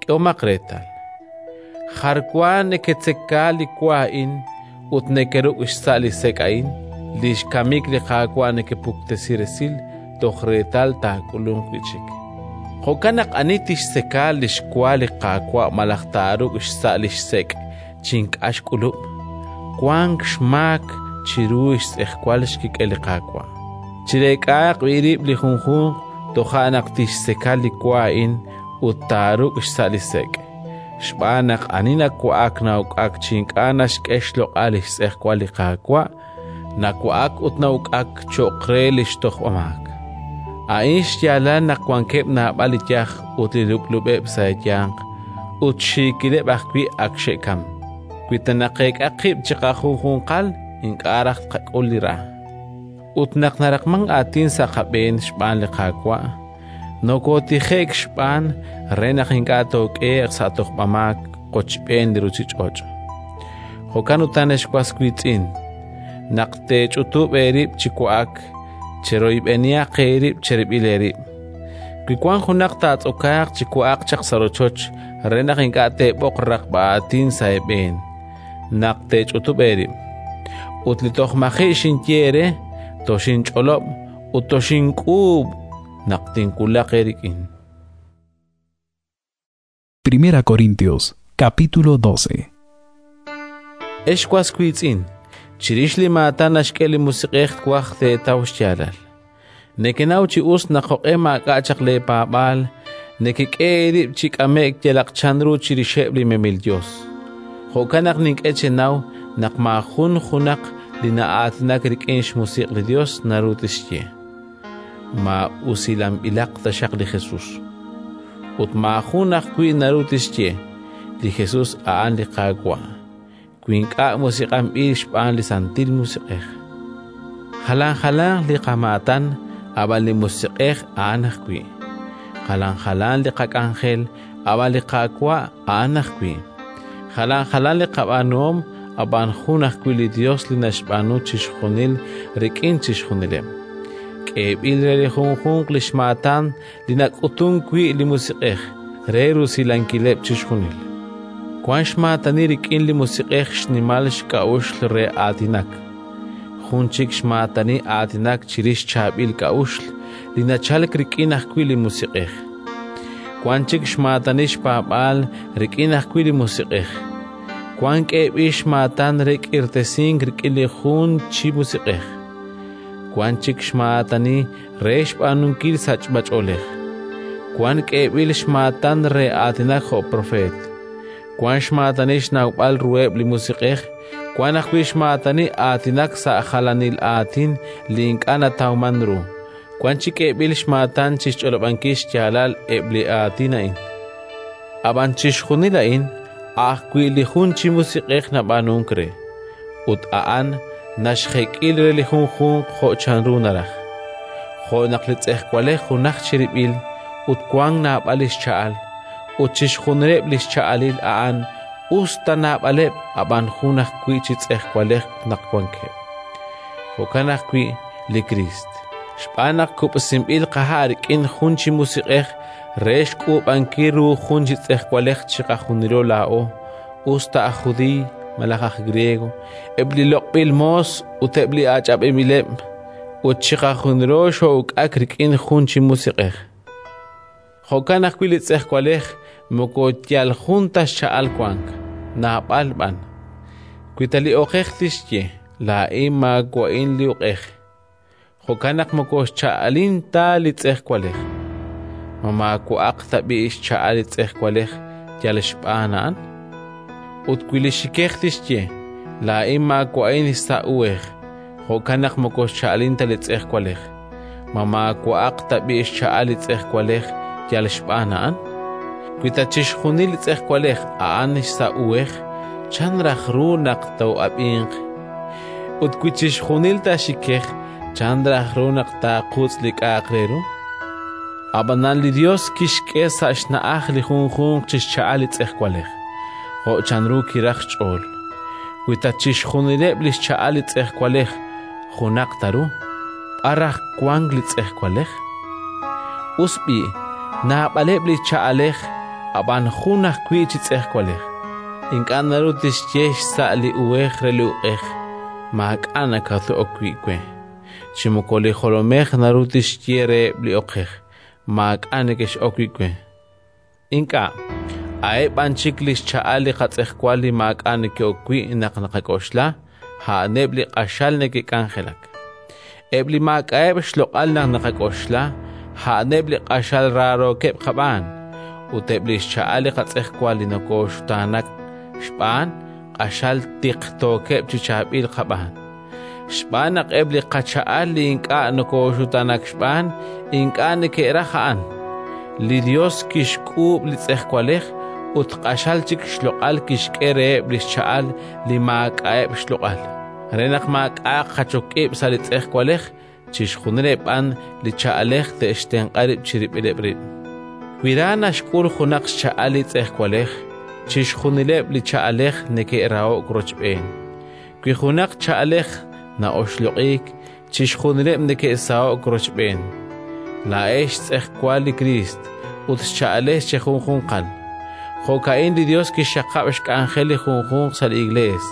S2: K'ehomaq reetal. Jar wa neketzeka li wa a'in ut nekeruk' xsa' li sek' a'in, li xkamik li Qaawa' nekepuktesi resil toj reetal taak'ulunq wi' chik. Jo'kan naq ani tixtzeka li xwa li Qaawa' malaj taaruk' xsa' li xsek' chi ink'a' xk'ulub', wank xmaak chiru xtz'ejwal xkik'el li Qaawa'. Chireek'ahaq b'i' rib' li junjunq toja' naq tixtzeka li wa a'in ut taaruk' xsa' li sek'. Xb'aan naq ani nawa'ak na'uk'ak chi ink'a' naxk'e xloq'al li xtz'ejwal li Qaawa', nawa'ak ut na'uk'ak cho'q re li xtojb'amaak. A'in xyaalal naq wankeb' naab'al li yaj ut li lub'lub'eb' sa' eeyanq, ut xiikileb' ajwi' ak xe'kamk. Wi ta naqeek'a qib' chiqajunjunqal, ink'a' raj tqak'ul li ra. Ut naq naraqmank aatin sa' qab'een xb'aan li Qaawa', nokootije'k xb'aan re naq ink'a' took'ehe'q sa' tojb'amaak qochb'een li ruuchich'och'. Jo'kan utan, ex was wiitz'in, naq teech'utub' eerib' chi wa'ak, cheroyb'enihaq eerib' cherib'il eerib'. Wi wank junaq taatz'okaaq chi wa'aq chaq sa' rochoch re naq ink'a' teeb'oq raqb'a aatin sa' eeb'een naq teech'utub' eerib'. Ut li toj maji' xinye eere, toxinch'olob' ut toxink'uub' naq tinwulaq eerik'in.
S3: Primera Corintios, capítulo doce.
S2: Ex was wiitz'in, chirix li maatan naxk'e li Musiq'ej twaj teetaw xyaalal. Nekenaw chi us naq jo'q'e maak'a' chaq leepaab'aal, nekek'e eerib' chi k'ame'k yalaq chanru chirixeb' li memil yos. Jo'kan naq nink'e chenaw naq maajun junaq li na'aatinak rik'in xmusiq' li Yos naru tixye: Ma usilanb'ilaq taxaq li Jesus. Ut maajun ajwi' naru tixye: Li Jesus a'an li Qaawa', wi ink'a' musiq'anb'il xb'aan li Santil Musiq'ej. Jalan jalanq li qamaatan, ab'an li Musiq'ej a'an ajwi'. Jalan jalan li qak'anjel, ab'an li Qaawa' a'an ajwi'. Jalan jalan li qab'aanuhom, ab'an jun ajwi' li Yos li naxb'aanu chixjunil rik'in chixjunileb'. K'eeb'il re li junjunq li xmaatan li nak'utunk wi' li Musiq'ej re rusilankileb' chixjunil. Wank xmaatani rik'in li Musiq'ej xnimal xk'a'uxl re aatinak, jun chik xmaatani aatinak chirix chaab'il k'a'uxl li nachalk rik'in ajwi' li Musiq'ej. Wank chik xmaatani xpaab'aal rik'in ajwi' li Musiq'ej. Wank k'eeb'il xmaatan re k'irtasink rik'in li jun chi Musiq'ej. Wank chik xmaatani re xb'aanunkil sachb'ach'oolej. Wank k'eeb'il xmaatan re aatinak jo' propeet. Wank xmaatani xnawb'al ruheb' li musiq'ej, wank ajwi' xmaatani aatinak sa' jalanil aatin li ink'a' natawmank ru. Wank chik k'eeb'il xmaatan chi xch'olob'ankil xyaalal eb' li aatin a'in. Ab'an chixjunil a'in a' ajwi' li jun chi Musiq'ej nab'aanunk re, ut a'an naxjek'i re li junjunq jo' chanru naraj. Jo' naq li tz'ejwalej junaj chirib'il ut wank naab'al li xcha'al, ut chixjunileb' li xcha'alil a'an us ta naab'aleb', ab'an jun ajwi' chi tz'ejwalej naq wankeb'. Jo'kan ajwi' li Kriist, xb'aan naq kub'sinb'il qaha' rik'in jun chi Musiq'ej re xk'uub'ankil ru jun chi tz'ejwalej chiqajunilo laa'o, us ta aj Judiiy malaj aj Griego, eb' li loq'b'il moos ut eb' li ach'ab'inb'ileb', ut chiqajunilo xoo'uk'ak rik'in jun chi Musiq'ej. Jo'kan ajwi' li tz'ejwalej moko yal jun ta xcha'al wank, naab'al b'an. Wi ta li oqej tixye: “Laa'in maawa'in li uq'ej”, jo'kan naq moko xcha'alin ta li tz'ejwalej. Ma maawa'aq tab'i' xcha'al li tz'ejwalej yal xb'aan a'an? Ut wi li xikej tixye: “Laa'in maawa'in xsa' uhej”, jo'kan naq moko xcha'alin ta li tz'ejwalej. Ma maawa'aq tab'i' xcha'al li tz'ejwalej yal xb'aan a'an? Wi ta chixjunil li tz'ejwalej a'an xsa' uhej, chan raj ru naq too'ab'inq? Ut wi chixjunil ta xikej, chan raj ru naq taaqutz' li k'a'aq re ru? Ab'anan li Yos kixk'e sa' xna'aj li junjunq chi xcha'al li tz'ejwalej, jo' chanru kiraj xch'ool. Wi ta chixjunileb' li xcha'al li tz'ejwalej junaq ta ru, b'ar raj wank li tz'ejwalej? Us b'i', naab'aleb' li cha'alej, ab'an jun ajwi' chi tz'ejwalej. Ink'a' naru tixye xsa' li uhej re li uq'ej: “Maak'a' nakato'ok wi' we”. Chi moko li jolomej naru tixye reheb' li oqej: “Maak'a' nekex'ok wi' we”. Ink'a', a'eb' b'an chik li xcha'al li qatz'ejwal li maak'a' neke'ok wi' naq naqak'oxla, a'aneb' li q'axal neke'k'anjelak. Eb' li maak'a'eb' xloq'al naq naqak'oxla, a'aneb' li q'axal raarookeb' qab'aan, ut eb' li xcha'al li qatz'ejwal li nokooxutaanak xb'aan, q'axal tiqtookeb' chi chaab'il qab'aan. Xb'aan naq eb' li qacha'al li ink'a' nokooxutaanak xb'aan, ink'a' neke'raj a'an. Li Yos kixk'uub' li tz'ejwalej ut q'axal chik xloq'al kixk'e reheb' li xcha'al li maak'a'eb' xloq'al, re naq maak'a'aq jachok ib' sa' li tz'ejwalej, chixjunileb' b'an li cha'alej te'xtenq'a rib' chirib'ileb' rib'. Wi ra naxk'ul junaq xcha'al li tz'ejwalej, chixjunileb' li cha'alej neke'raho'k rochb'een. Wi junaq cha'alej na'oxloq'iik, chixjunileb' neke'saho'k rochb'een. Laa'ex xtz'ejwal li Kriist ut xcha'alex chejunjunqal. Jo'ka'in li Yos kixxaqab' xk'anjel li junjunq sa' li Iklees: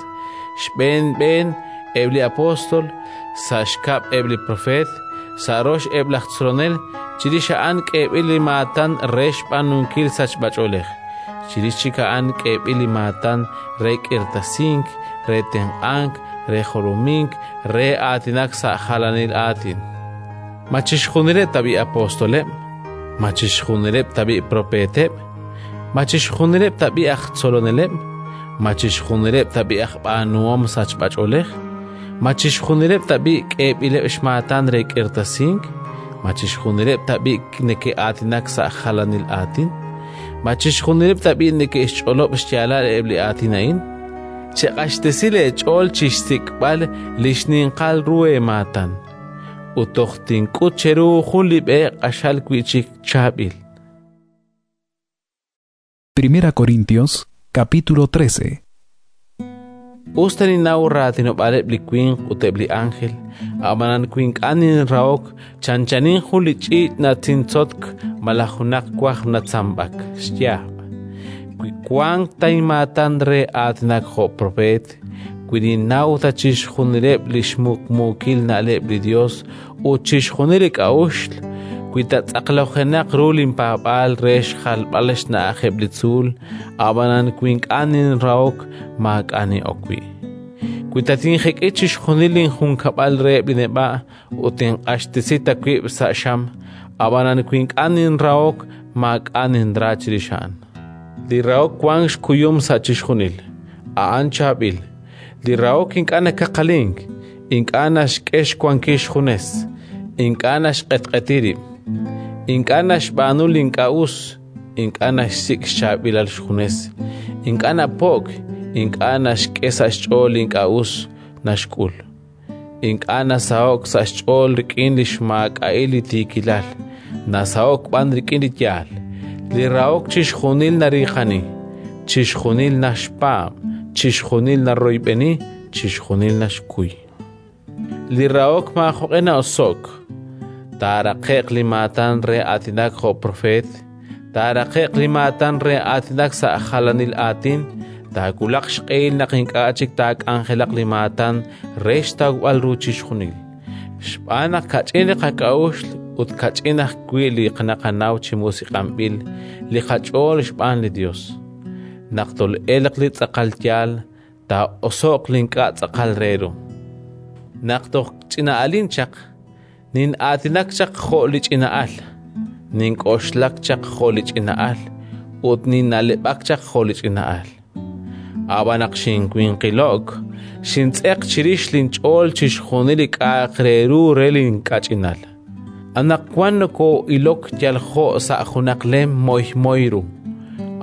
S2: xb'een b'een eb' li apóstol, sa' xkab' eb' li propeet, sa' rox eb' laj tzolonel, chirix a'an k'eeb'il li maatan re xb'aanunkil sachb'ach'oolej, chirix chik a'an k'eeb'il li maatan re k'irtasink, re tenq'ank, re jolomink, re aatinak sa' jalanil aatin. Ma chixjunileb' tab'i' apostoleb'? Ma chixjunileb' tab'i' propeeteb'? Ma chixjunileb' tab'i' aj tzoloneleb'? Ma chixjunileb' tab'i' aj b'aanuhom sachb'ach'oolej? Ma chixjunileb' tab'i' k'eeb'ileb' xmaatan re k'irtasink? Ma chixjunileb' tab'i' neke'aatinak sa' jalanil aatin? Ma chixjunileb' tab'i' neke'xch'olob' xyaalal eb' li aatin a'in? Cheq'axtesi leech'ool chi xsik'b'al li xninqal ru eemaatan, ut toj tink'ut cheru jun li b'e q'axal wi'chik chaab'il.
S3: Primera Corintios, capítulo trece.
S2: Us ta ninnaw raatinob'aaleb' li winq ut eb' li ánjel, ab'anan wi ink'a' ninrahok, chanchanin jun li ch'iich' natzintzotk malaj junaq wajb natzamb'ak xyaab'. Wi wank ta inmaatan re aatinak jo' propeet, wi ninnaw ta chixjunileb' li xmuqmuukil na'leb' li Yos ut chixjunil li k'a'uxl, wi ta tz'aqlojenaq ru linpaab'aal re xjalb'al xna'ajeb' li tzuul, ab'anan wi ink'a' ninrahok, maak'a' nin'ok wi'. Wi ta tinjek'i chixjunil linjunkab'al reheb' li neb'a' ut tinq'axtesi ta wib' sa' xam, ab'anan wi ink'a' ninrahok, maak'a' ninra chirix a'an. Li rahok wank xkuyum sa' chixjunil, a'an chaab'il. Li rahok ink'a' nakaqalink, ink'a' naxk'e xwankil xjunes, ink'a' naxq'etq'eti rib', ink'a' naxb'aanu li ink'a' us, ink'a' naxsik' xchaab'ilal xjunes, ink'a' napo'k, ink'a' naxk'e sa' xch'ool li ink'a' us naxk'ul, ink'a' nasaho'k sa' xch'ool rik'in li xmaak'a'il li tiikilal, nasaho'k b'an rik'in li yaal. Li rahok chixjunil nariiqani, chixjunil naxpaab', chixjunil naroyb'eni, chixjunil naxkuy. Li rahok maajoq'e na'oso'k. Taaraqe'q li maatan re aatinak jo' propeet, taaraqe'q li maatan re aatinak sa' jalanil aatin, taawulaq xq'ehil naq ink'a' chik taak'anjelaq li maatan re xtawb'al ru chixjunil. Xb'aan naq kach'in li qak'a'uxl ut kach'in ajwi' li naqanaw chi musiq'anb'il li qach'ool xb'aan li Yos. Naq tol'elq li tz'aqal yaal, taa'oso'q li ink'a' tz'aqal re ru. Naq toj ch'ina'alin chaq, nin'aatinak chaq jo' li ch'ina'al, nink'oxlak chaq jo' li ch'ina'al ut ninna'leb'ak chaq jo' li ch'ina'al. Ab'an naq xinwinqilo'k, xintz'eq chirix linch'ool chixjunil li k'a'aq re ru re linkach'inal. Anaqwan nokoo'ilok yal jo' sa' junaq lem moymoy ru,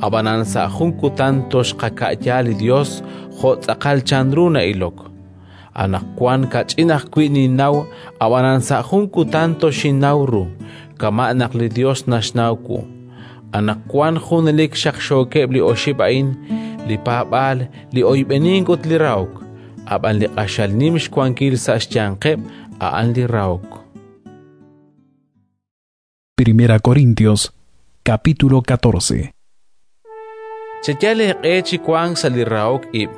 S2: ab'anan sa' jun kutan toxqaka'ya li Yos jo' tz'aqal chanru na'ilok. Anaqwan kach'in ajwi' ninnaw, ab'anan sa' jun kutan toxinnaw ru, kama' naq li Yos naxnaw wu. Anaqwan junelik xaqxookeb' li oxib' a'in: li paab'aal, li oyb'enink ut li rahok. Ab'an li q'axal nim xwankil sa' xyanqeb' a'an li rahok.
S3: Primera Corintios, capítulo catorce.
S2: Cheyal eeq'e chi wank sa' li rahok ib',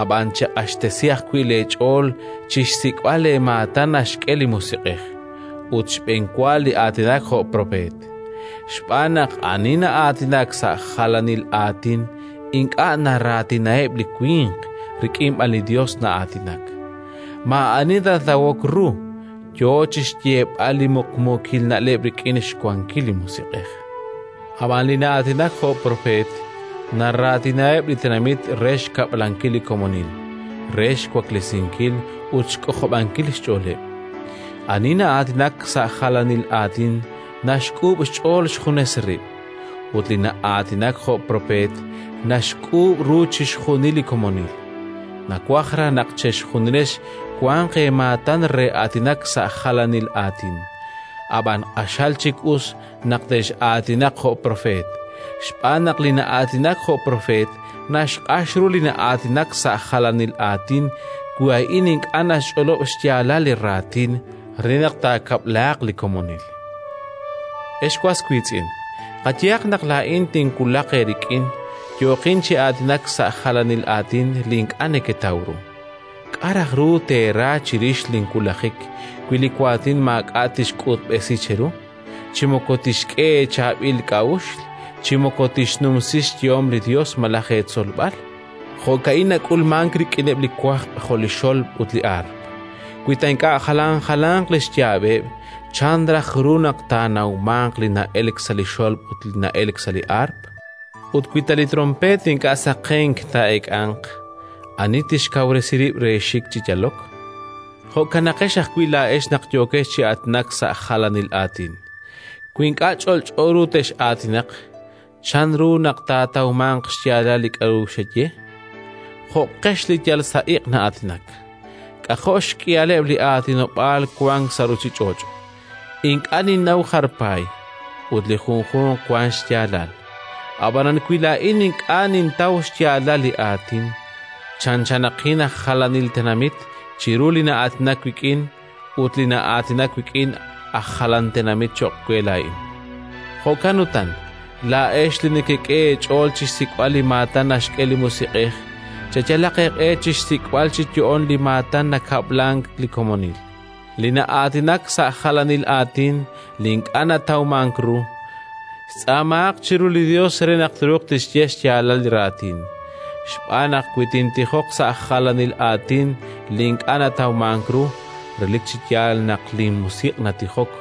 S2: ab'an cheq'axtesi ajwi' leech'ool chi xsik'b'al leemaatan naxk'e li Musiq'ej, ut xb'enwa li aatinak jo' propeet. Xb'aan naq ani na'aatinak sa' jalanil aatin ink'a' naraatinaheb' li winq, rik'in b'an li Yos na'aatinak. Maa'ani natawok ru, yo chi xyeeb'al li muqmuukil na'leb' rik'in xwankil li Musiq'ej. Ab'an li na'aatinak jo' propeet naraatinaheb' li tenamit re xkab'lankil li komonil, re xwaklesinkil ut xk'ojob'ankil xch'ooleb'. Ani na'aatinak sa' jalanil aatin naxk'uub' xch'ool xjunes rib', ut li na'aatinak jo' propeet naxk'uub' ru chixjunil li komonil. Nawaj raj naq chexjunilex wanq eemaatan re aatinak sa' jalanil aatin, ab'an q'axal chik us naq tex'aatinaq jo' propeet, xb'aan naq li na'aatinak jo' propeet naxq'ax ru li na'aatinak sa' jalanil aatin wi a'in ink'a' naxch'olob' xyaalal li raatin re naq taakab'laaq li komonil. Ex was wiitz'in, qayehaq naq laa'in tinwulaq eerik'in, yooqin chi aatinak sa' jalanil aatin li ink'a' neketaw ru. K'a' raj ru teera chirix linwulajik wi li waatin maak'a' tixk'utb'esi cheru, chi moko tixk'e eechaab'il k'a'uxl, chi moko tixnumsi xyehom li Yos malaj eetzolb'al? Jo'ka'in nak'ulmank rik'ineb' li wajb' jo' li xolb' ut li aarp. Wi ta ink'a' jalan jalanq li xyaab'eb', chan raj ru naq taanawmanq li na'elk sa' li xolb' ut li na'elk sa' li aarp? Ut wi ta li trompeet ink'a' saqenk taa'eek'anq, ani tixkawresi rib' re xik chi yalok? Jo'kanaqex ajwi' laa'ex naq yookex chi aatinak sa' jalanil aatin. Wi ink'a' ch'olch'o ru tex'aatinaq, chan ru naq taatawmanq xyaalal li k'aru xeye? Jo'qex li yal sa' iq' na'aatinak. K'ajo' xk'ihaleb' li aatinob'aal wank sa' ruuchich'och'. Ink'a' ninnaw jar paay, ut li junjunq wank xyaalal. Ab'anan wi laa'in ink'a' nintaw xyaalal li aatin, chanchanaqin aj jalanil tenamit chiru li na'aatinak wik'in, ut li na'aatinak wik'in aj jalan tenamit cho'q we laa'in. Jo'kan utan, Laa'ex li nekek'e eech'ool chi xsik'b'al li maatan naxk'e li Musiq'ej, cheyalaq eeq'e chi xsik'b'al chi yo'oon li maatan nakab'lank li komonil. Li na'aatinak sa' jalanil aatin li ink'a' natawmank ru, xtz'aamaaq chiru li Yos re naq truuq tixye xyaalal li raatin. Xb'aan naq wi tintijoq sa' jalanil aatin li ink'a' natawmank ru, relik chi yaal naq linmusiq' natijok,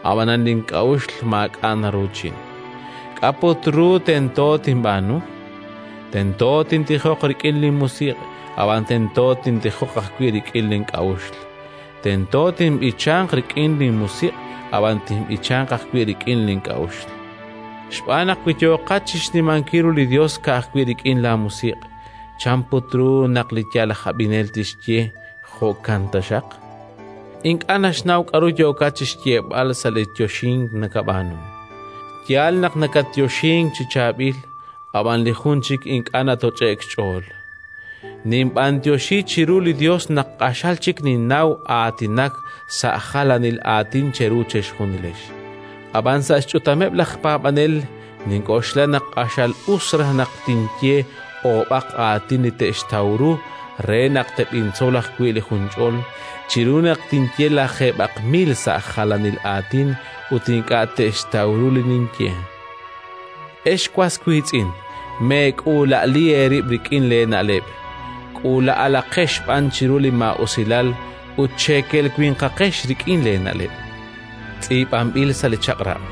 S2: ab'anan link'a'uxl maak'a' naruuchin. K'a' put ru tento tinb'aanu? Tento tintijoq rik'in linmusiq', ab'an tento tintijoq ajwi' rik'in link'a'uxl. Tento tinb'ichanq rik'in linmusiq', ab'an tinb'ichanq ajwi' rik'in link'a'uxl. Xb'aan naq wi yooqat chi xnimankil ru li Yos ka'ajwi' rik'in laamusiq', chan put ru naq li yal aj ab'inel tixye jo'kan taxaq? Ink'a' naxnaw k'aru yookat chi xyeeb'al sa' li yoxink nakab'aanu. Yaal naq nakatyoxink chi chaab'il, ab'an li jun chik ink'a' natoch'e'k xch'ool. Ninb'anyoxi chiru li Yos naq q'axal chik ninnaw aatinak sa' jalanil aatin cheru chejunilex. Ab'an sa' xch'utameb' laj paab'anel nink'oxla naq q'axal us raj naq tinye oob'aq aatin li te'xtaw ru re naq teb'intzol ajwi' li junch'ol, chiru naq tinye lajeeb'aq mil sa' jalanil aatin ut ink'a' te'xtaw ru li ninye. Ex was wiitz'in, meek'uula'li eerib' rik'in leena'leb', k'uula'alaqex b'an chiru li maa'usilal ut cheekel winqaqex rik'in leena'leb'. Tz'iib'anb'il sa' li Chaq'rab':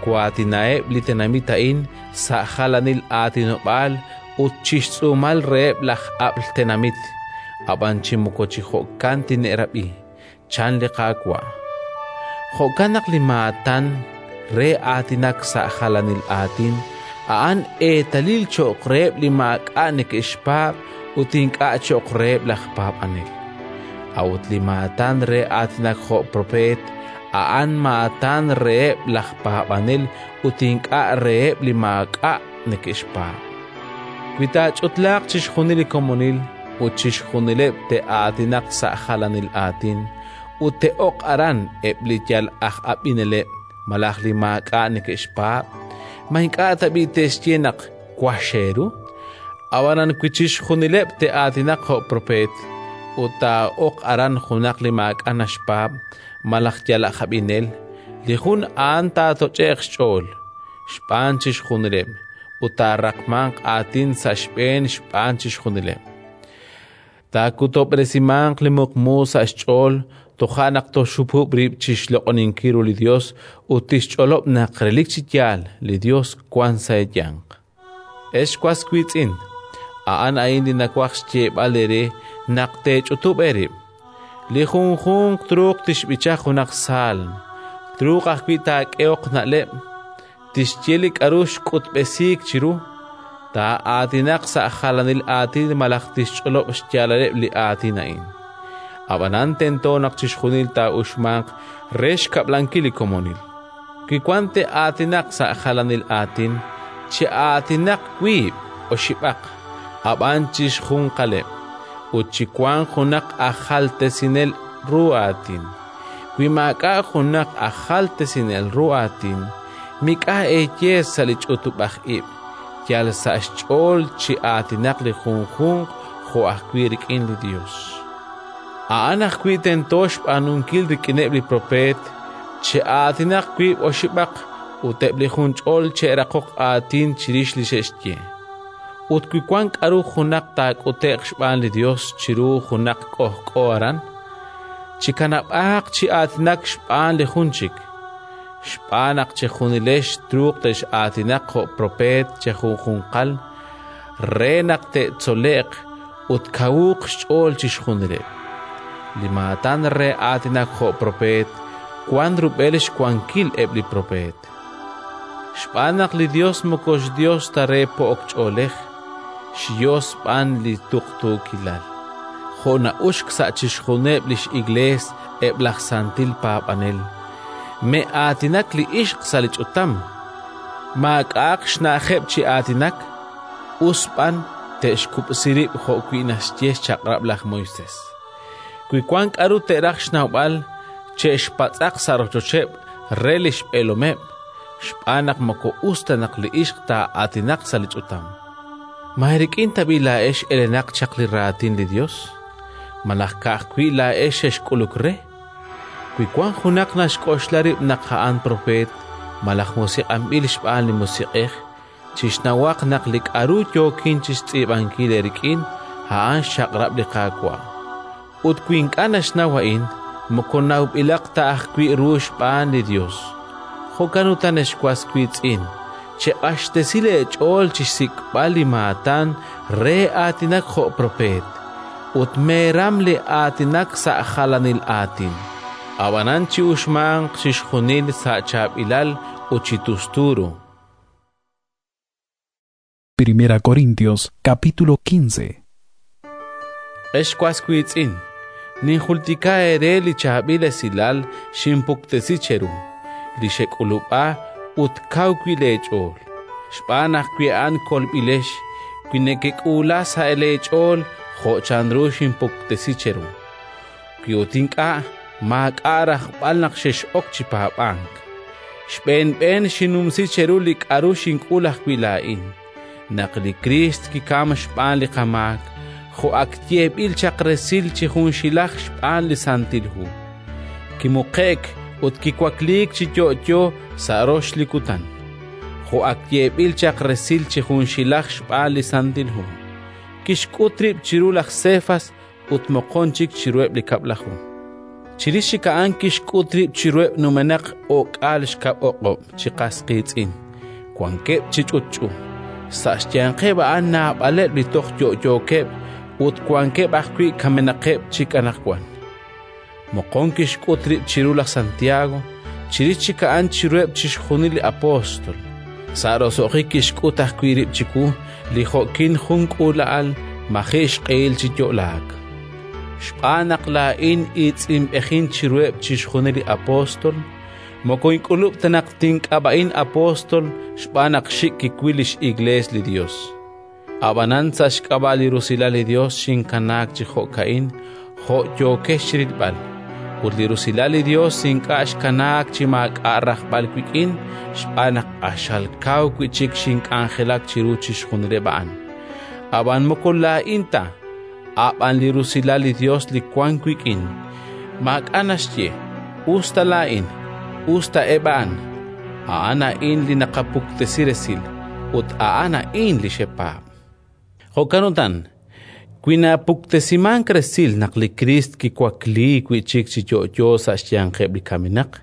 S2: Twaatinaheb' li tenamit a'in sa' jalanil aatinob'aal ut chi xtz'uumal reheb' laj ab'l tenamit, ab'an chi moko chi jo'kan tine'rab'i, chan li Qaawa'. Jo'kan naq li maatan re aatinak sa' jalanil aatin a'an eetalil cho'q reheb' li maak'a' neke'xpaab' ut ink'a' cho'q reheb' laj paab'anel. A'ut li maatan re aatinak jo' propeet a'an maatan reheb' laj paab'anel ut ink'a' reheb' li maak'a' neke'xpaab'. Wi taach'utlaaq chixjunil li komonil ut chixjunileb' te'aatinaq sa' jalanil aatin ut te'oq aran eb' li yal aj ab'ineleb' malaj li maak'a' neke'xpaab', ma ink'a' tab'i' te'xye naq wax eeru? Ab'anan wi chixjunileb' te'aatinaq jo' propeet ut taa'oq aran junaq li maak'a' naxpaab' malaj yal aj ab'inel, li jun a'an taatoch'e'q xch'ool xb'aan chixjunileb' ut taaraqmanq aatin sa' xb'een xb'aan chixjunileb'. Taakutob'resimanq li muqmu sa' xch'ool toja' naq toxhupub' rib' chi xloq'oninkil ru li Yos ut tixch'olob' naq relik chi yaal li Yos wank sa' eeyanq. Ex was wiitz'in, a'an a'in li nawaj xyeeb'al eere naq teech'utub' eerib'. Li junjunq truuq tixb'icha junaq saalm, truuq ajwi' taak'ehoq na'leb', tixye li k'aru xk'utb'esiik chiru, taa'aatinaq sa' jalanil aatin malaj tixch'olob' xyaalaleb' li aatin a'in. Ab'anan tento naq chixjunil taa'uxmanq re xkab'lankil li komonil. Wi wank te'aatinaq sa' jalanil aatin, che'aatinaq wiib' oxib'aq, ab'an chixjunqaleb', ut chiwanq junaq aj jaltesinel ru aatin. Wi maak'a' junaq aj jaltesinel ru aatin, mik'a' eeye sa' li ch'utub'aj ib', yal sa' xch'ool chi aatinaq li junjunq jo' ajwi' rik'in li Yos. A'an ajwi' tento xb'aanunkil rik'ineb' li propeet, che'aatinaq wiib' oxib'aq ut eb' li junch'ol che'raqoq aatin chirix li xe'xye. Ut wi wank k'aru junaq taak'ute'q xb'aan li Yos chiru junaq k'ojk'o aran, chikanab'aaq chi aatinak xb'aan li jun chik. Xb'aan naq chejunilex truuq tex'aatinaq jo' propeet chejunjunqal re naq te'tzole'q ut kawuuq xch'ool chixjunileb'. Li maatan re aatinak jo' propeet wank rub'el xwankil eb' li propeet. Xb'aan naq li Yos moko xYos ta re po'ok ch'oolej, xYos b'an li tuqtuukilal. Jo' na'uxk sa' chixjunileb' li x'Iklees eb' laj santil paab'anel, me'aatinak li ixq sa' li ch'utam, maak'a'aq xna'ajeb' chi aatinak, us b'an te'xkub'si rib' jo'wi' naxye xchaq'rab' laj Moisés. Wi wank k'aru te'raj xnawb'al, che'xpatz'aq sa' rochocheb' re li xb'eelomeb', xb'aan naq moko us ta naq li ixq taa'aatinaq sa' li ch'utam. Ma eerik'in tab'i' laa'ex elenaq chaq li Raatin li Yos? Malaj ka'ajwi' laa'ex xexk'uluk re? Wi wank junaq naxk'oxla rib' naq a'an propeet malaj musiq'anb'il xb'aan li Musiq'ej, chixnawaq naq li k'aru yookin chi xtz'iib'ankil eerik'in a'an xchaq'rab' li Qaawa'. Ut wi ink'a' naxnaw a'in, moko nawb'ilaq ta ajwi' ru xb'aan li Yos. Jo'kan utan, ex was wiitz'in, cheq'axtesi leech'ool chi xsik'b'al li maatan re aatinak jo' propeet, ut meeram li aatinak sa' jalanil aatin. Ab'anan chi'uxmanq chixjunil sa' chaab'ilal ut chi tustu ru.
S3: Primera Corintios capítulo quince.
S2: Ex was wiitz'in, ninjultika eere li chaab'il esilal xinpuktesi cheru, li xek'ulub'a ut kaw wi' leech'ool. Xb'aan naq wi a'an kolb'ilex, wi nekek'uula sa' leech'ool jo' chanru xinpuktesi cheru. Wi ut ink'a', maak'a' rajb'al naq xex'ok chi paab'ank. Xb'een b'een xinnumsi cheru li k'aru xink'ul ajwi' laa'in, naq li Kriist kikam xb'aan li qamaak, jo' ak yeeb'il chaq resil chi junxilaj xb'aan li Santil Hu. Kimuqe'k ut kiwakliik chi yo'yo sa' rox li kutan, jo' ak yeeb'il chaq resil chi junxilaj xb'aan li Santil Hu. Kixk'ut rib' chiru laj Sefas ut moqon chik chiruheb' li kab'laju. Chirix chik a'an kixk'ut rib' chiruheb' numenaq o'k'aal xkab' o'q'ob' chi qas qiitz'in, wankeb' chi ch'utch'u. Sa' xyanqeb' a'an naab'aleb' li toj yo'yookeb' ut wankeb' ajwi' kamenaqeb' chik anaqwan. Moqon kixk'ut rib' chiru laj Santiago, chirix chik a'an chiruheb' chixjunil li apóstol. Sa' roso'jik kixk'ut ajwi' rib' chiwu li jo'kin jun k'uula'al maji' xq'ehil chi yo'laak. Xb'aan naq laa'in iitz'inb'ejin chiruheb' chixjunil li apóstol, moko ink'ulub' ta naq tink'ab'a'in apóstol xb'aan naq xik' kiwil li x'Iklees li Yos. Ab'anan sa' xk'ab'a' li rusilal li Yos xinkanaak chi jo'ka'in, jo' yookex chi rilb'al. Ut li rusilal li Yos ink'a' xkanaak chi maak'a' rajb'al wik'in, xb'aan naq q'axal kaw wi' chik xink'anjelak chiru chixjunileb' a'an. Ab'an moko laa'in ta, ab'an li rusilal li Yos li wank wik'in. Maak'a' naxye, us ta laa'in, us ta eb' a'an. A'an a'in li naqapuktesi resil, ut a'an a'in li xepaab'. Jo'kan utan, wi napuktesimank resil naq li Kriist kiwakliik wi' chik chi yo'yo sa' xyanqeb' li kamenaq,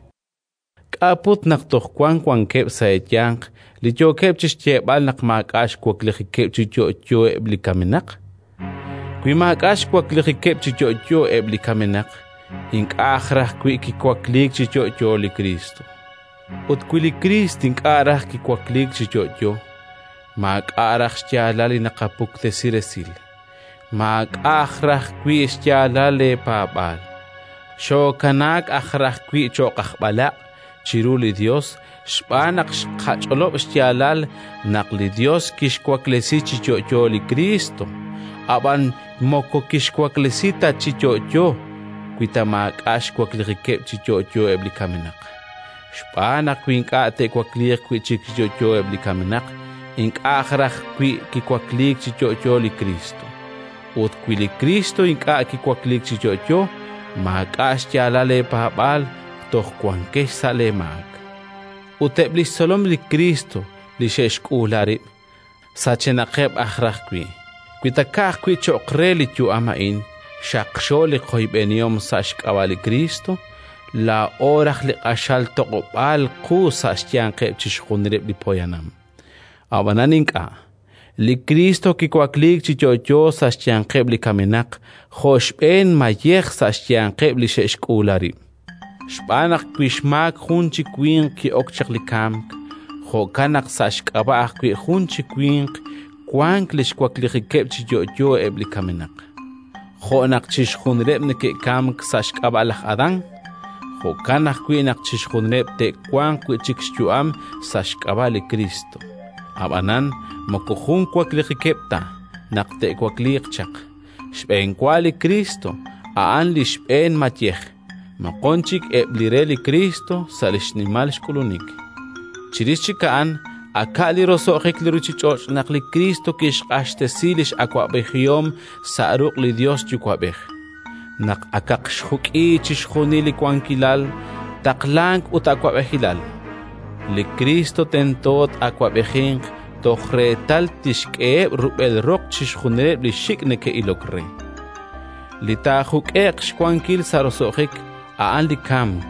S2: k'a' put naq toj wank wankeb' sa' eeyanq li yookeb' chi xyeeb'al naq maak'a' xwaklijikeb' chi yo'yo eb' li kamenaq? Wi maak'a' xwaklijikeb' chi yo'yo eb' li kamenaq, ink'a' raj wi' kiwakliik chi yo'yo li Kristo. Ut wi li Kriist ink'a' raj kiwakliik chi yo'yo, maak'a' raj xyaalal li naqapuktesi resil, maak'a' raj wi' xyaalal leepaab'aal. Xookanaak aj raj wi' cho'q aj b'alaq' chiru li Yos xb'aan naq xqach'olob' xyaalal naq li Yos kixwaklesi chi yo'yo li Kristo, ab'an moko kixwaklesi ta chi yo'yo wi ta maak'a' xwaklijikeb' chi yo'yo eb' li kamenaq. Xb'aan naq wi ink'a' te'wakliiq wi' chik chi yo'yo eb' li kamenaq, ink'a' raj wi' kiwakliik chi yo'yo li Kristo. Ut wi li Kristo ink'a' kiwakliik chi yo'yo, maak'a' xyaalal leepaab'aal, toj wankex sa' leemaak. Ut eb' li xtzolom li Kristo li xe'xk'uula rib', sachenaqeb' aj raj wi'. Wi ta ka'ajwi' cho'q re li yu'am a'in xaqxo li qoyb'enihom sa' xk'ab'a' li Kristo, laa'o raj li q'axal toq'ob'aal qu sa' xyanqeb' chixjunileb' li poyanam. Ab'anan ink'a'. Li Kristo kiwakliik chi yo'yo sa' xyanqeb' li kamenaq jo' xb'een mayej sa' xyanqeb' li xe'xk'uula rib'. Xb'aan naq wi xmaak jun chi winq ki'ok chaq li kamk, jo'kan naq sa' xk'ab'a' ajwi' jun chi winq wank li xwaklijikeb' chi yo'yo eb' li kamenaq. Jo' naq chixjunileb' neke'kamk sa' xk'ab'a' laj Adán, jo'kan ajwi' naq chixjunileb' te'wanq wi' chik xyu'am sa' xk'ab'a' li Kristo. Ab'anan moko jun waklijikeb' ta naq te'wakliiq chaq. Xb'eenwa li Kristo a'an li xb'een mayej, moqon chik eb' li re li Kristo sa' li xnimal xk'ulunik. Chirix chik a'an aka' li roso'jik li ruuchich'och' naq li Kriist kixq'axtesi li x'awab'ejihom sa' ruq' li Yos Yuwa'b'ej. Naq akaq xjuk'i chixjunil li wankilal, taqlank ut awab'ejilal, li Kriist tento taa'awab'ejinq toj reetal tixk'eheb' rub'el roq chixjunileb' li xik' neke'ilok re. Li taajuk'e'q xwankil sa' roso'jik a'an li kamk,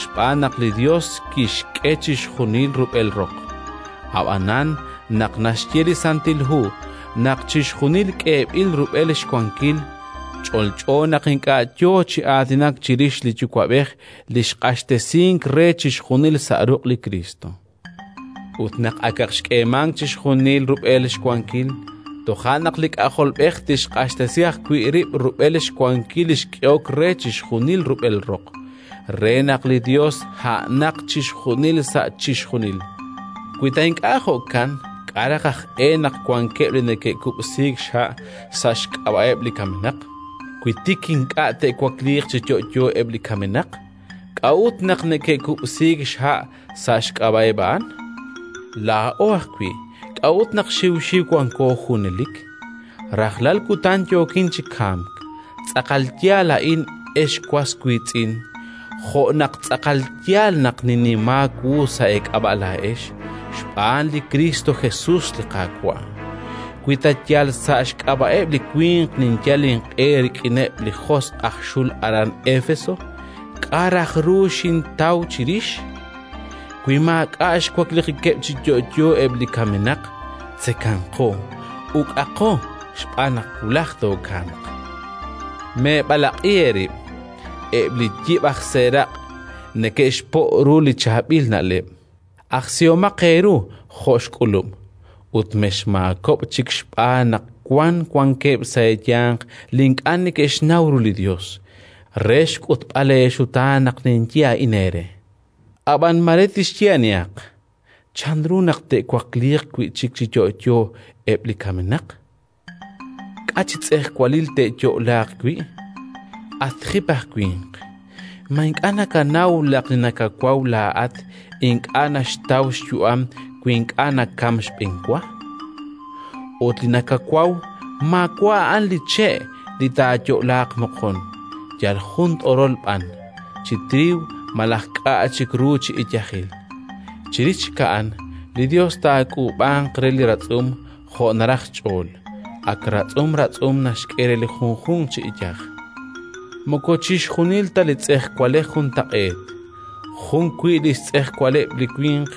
S2: xb'aan naq li Yos kixk'e chixjunil rub'el roq. Ab'anan naq naxye li Santil Hu naq chixjunil k'eeb'il rub'el xwankil, ch'olch'o naq ink'a' yo chi aatinak chirix li Yuwa'b'ej li xq'axtesink re chixjunil sa' ruq' li Kriist. Ut naq akaq xk'eemank chixjunil rub'el xwankil, toja' naq li K'ajolb'ej tixq'axtesi ajwi' rib' rub'el xwankil li xk'ehok re chixjunil rub'el roq, re naq li Yos a'anaq chixjunil sa' chixjunil. Wi ta ink'a' jo'kan, k'a' raj aj e naq wankeb' li neke'kub'siik xha' sa' xk'ab'a'eb' li kamenaq? Wi tik ink'a' te'wakliiq chi yo'yo eb' li kamenaq, k'a'ut naq neke'kub'siik xha' sa' xk'ab'a'eb' a'an? Laa'o ajwi', k'a'ut naq xiwxiw wanko junelik? Rajlal kutan yookin chi kamk. Tz'aqal yaal a'in, ex was wiitz'in, jo' naq tz'aqal yaal naq ninnimaak wu sa' eek'ab'a' laa'ex, xb'aan li Kristo Jesus li Qaawa'. Wi ta yal sa' xk'ab'a'eb' li winq ninyal inq'e rik'ineb' li josq' aj xul aran Éfeso, k'a' raj ru xintaw chirix? Wi maak'a' xwaklijikeb' chi yo'yo eb' li kamenaq, tzekanqo, uk'aqo xb'aan naq wulaj tookamq. Meeb'alaq'i eerib': eb' li yib' aj seeraq' neke'xpo' ru li chaab'il na'leb'. Ajsihomaq eeru jo' xk'ulub', ut mexmaakob'k chik xb'aan naq wank wankeb' sa' eeyanq li ink'a' neke'xnaw ru li Yos, re xk'utb'al eexutaan naq ninye a'in eere. Ab'an mare tixye anihaq: “Chanru naq te'wakliiq wi' chik chi yo'yo eb' li kamenaq? K'a' chi tz'ejwalil te'yo'laaq wi'?” At jip aj winq, ma ink'a' nakanaw naq li nakawaw laa'at ink'a' naxtaw xyu'am wi ink'a' nakamk xb'enwa? Ut li nakawaw maawa' a'an li che' li taayo'laaq moqon, yal jun t'orol b'an, chi triiw malaj k'a' chik ru chi iyajil. Chirix chik a'an, li Yos taak'uub'anq re li ratz'um jo' naraj xch'ool, ak ratz'um ratz'um naxk'e re li junjunq chi iyaj. Moko chixjunil ta li tz'ejwalej juntaq'eet: jun wi' li xtz'ejwaleb' li winq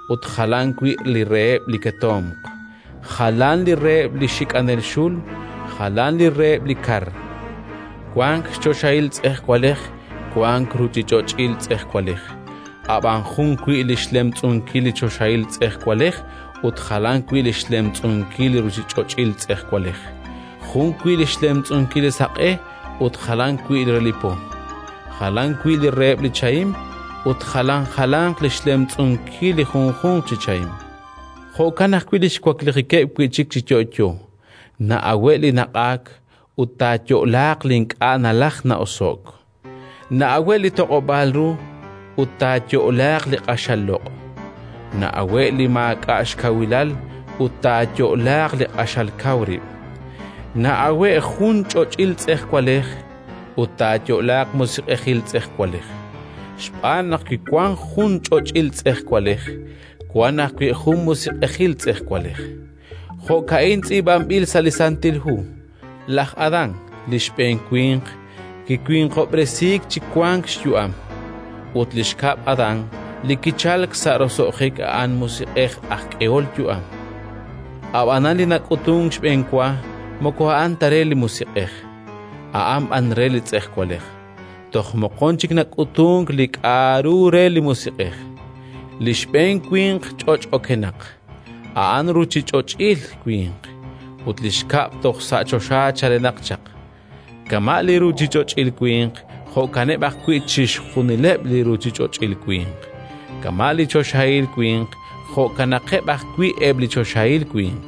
S2: ut jalan wi' li reheb' li ketomq, jalan li reheb' li xik'anel xul, jalan li reheb' li kar. Wank xchoxahil tz'ejwalej, wank ruuchich'och'il tz'ejwalej; ab'an jun wi' li xlemtz'unkil li choxahil tz'ejwalej ut jalan wi' li xlemtz'unkil li ruuchich'och'il tz'ejwalej; jun wi' li xlemtz'unkil li saq'e ut jalan wi' re li po, jalan wi' li reheb' li chahim ut jalan jalanq li xlemtz'unkil li junjunq chi chahim. Jo'kan ajwi' li xwaklijikeb' wi' chik chi yo'yo: na'awe' li naq'aak ut taayo'laaq li ink'a' nalaj na'oso'k; na'awe' li toq'ob'aal ru ut taayo'laaq li q'axal loq'; na'awe' li maak'a' xkawilal ut taayo'laaq li q'axal kaw rib'; na'awe' jun ch'och'il tz'ejwalej ut taayo'laaq musiq'ejil tz'ejwalej. Xb'aan naq wi wank jun ch'och'il tz'ejwalej, wank ajwi' jun musiq'ejil tz'ejwalej. Jo'ka'in tz'iib'anb'il sa' li Santil Hu: Laj Adán, li xb'een winq, kiwinqob'resiik chi wank xyu'am, ut li xkab' Adán, li kichalk sa' roso'jik, a'an musiq'ej aj k'ehol yu'am. Ab'anan li nak'utunk xb'enwa moko a'an ta re li musiq'ej, a'an b'an re li tz'ejwalej. Toj moqon chik nak'utunk li k'a'ru re li musiq'ej. Li xb'een winq ch'och' okenaq, a'an ruuchich'och'il winq, ut li xkab' toj sa' choxa chalenaq chaq. Kama' li ruuchich'och'il winq, jo'kaneb' ajwi' chixjunileb' li ruuchich'och'il winq. Kama' li choxahil winq, jo'kanaqeb' ajwi' eb' li choxahil winq.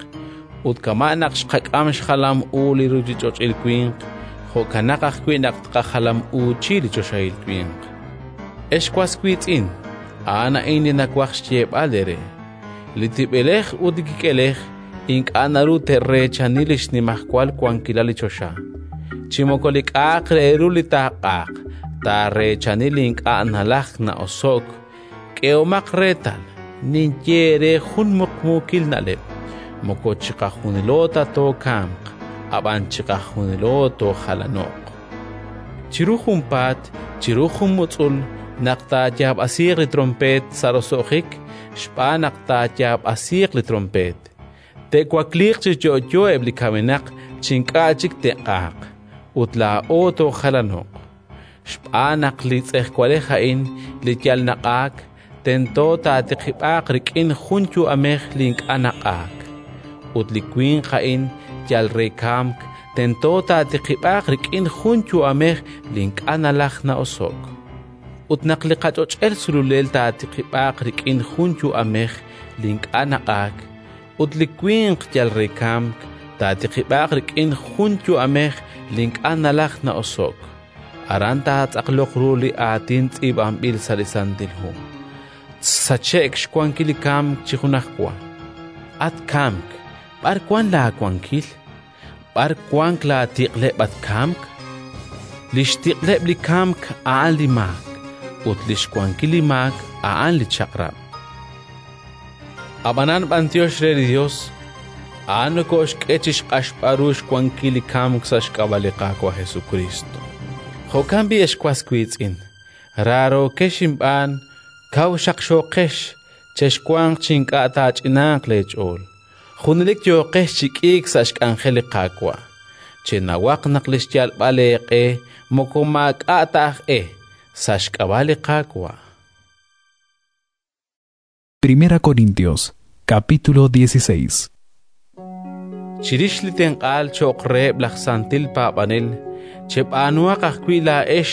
S2: Ut kama' naq xqak'am xjalam u li ruuchich'och'il winq, jo'kanaq ajwi' naq tqajalam uuchi li choxahil winq. Ex was wiitz'in, A'an a'in li nawaj xyeeb'al eere: li tib'elej ut li kik'elej ink'a' naru te'reechani li xnimajwal wankilal li choxa, chi moko li k'a'aq re ru li taaq'aaq taareechani li ink'a' nalajk na'oso'k. K'ehomaq reetal, ninye eere jun muqmuukil na'leb': moko chiqajunilo ta tookamq, ab'an chiqajunilo toojalano'q. Chiru junpaat, chiru jun mutz'ul, naq taayaab'asiiq li tronpeet sa' roso'jik, xb'aan naq taayaab'asiiq li tronpeet, te'wakliiq chi yo'yo eb' li kamenaq chi ink'a' chik te'q'aaq, ut laa'o toojalano'q. Xb'aan naq li tz'ejwalej a'in li yal naq'aak, tento taatiqib'aaq rik'in jun yu'amej li ink'a' naq'aak; ut li winq a'in yal re kamk, tento taatiqib'aaq rik'in jun yu'amej li ink'a' nalajk na'oso'k. Ut naq li qach'och'el sululel taatiqib'aaq rik'in jun yu'amej li ink'a' naq'aak, ut li winq yal re kamk taatiqib'aaq rik'in jun yu'amej li ink'a' nalajk na'oso'k, aran taatz'aqloq ru li aatin tz'iib'anb'il sa' li Santil Hu: “Sache'k xwankil li kamk chi junajwa. At kamk, b'ar wank laawankil? B'ar wank laatiq'leb', at kamk?" Li xtiq'leb' li kamk a'an li maak, ut li xwankil li maak a'an li Chaq'rab'. Ab'anan b'anyox re li Yos, a'an nokooxk'e chi xq'axb'al ru xwankil li kamk sa' xk'ab'a' li Qaawa' Jesukriist. Jo'kan b'i', ex was wiitz'in, raarookex inb'aan, kaw xaqxooqex, chexwanq chi ink'a' taach'inaaq leech'ool. Junelik yooqex chi k'iik sa' xk'anjel li Qaawa'. Chenawaq naq li xyalb'al eeq'e moko maak'a' ta aj e, sa' xk'ab'a' li Qaawa'.
S3: Primera Corintios, capítulo dieciséis.
S2: Chirix li tenq'aal cho'q reheb' laj santil paab'anel, cheb'aanuhaq ajwi' laa'ex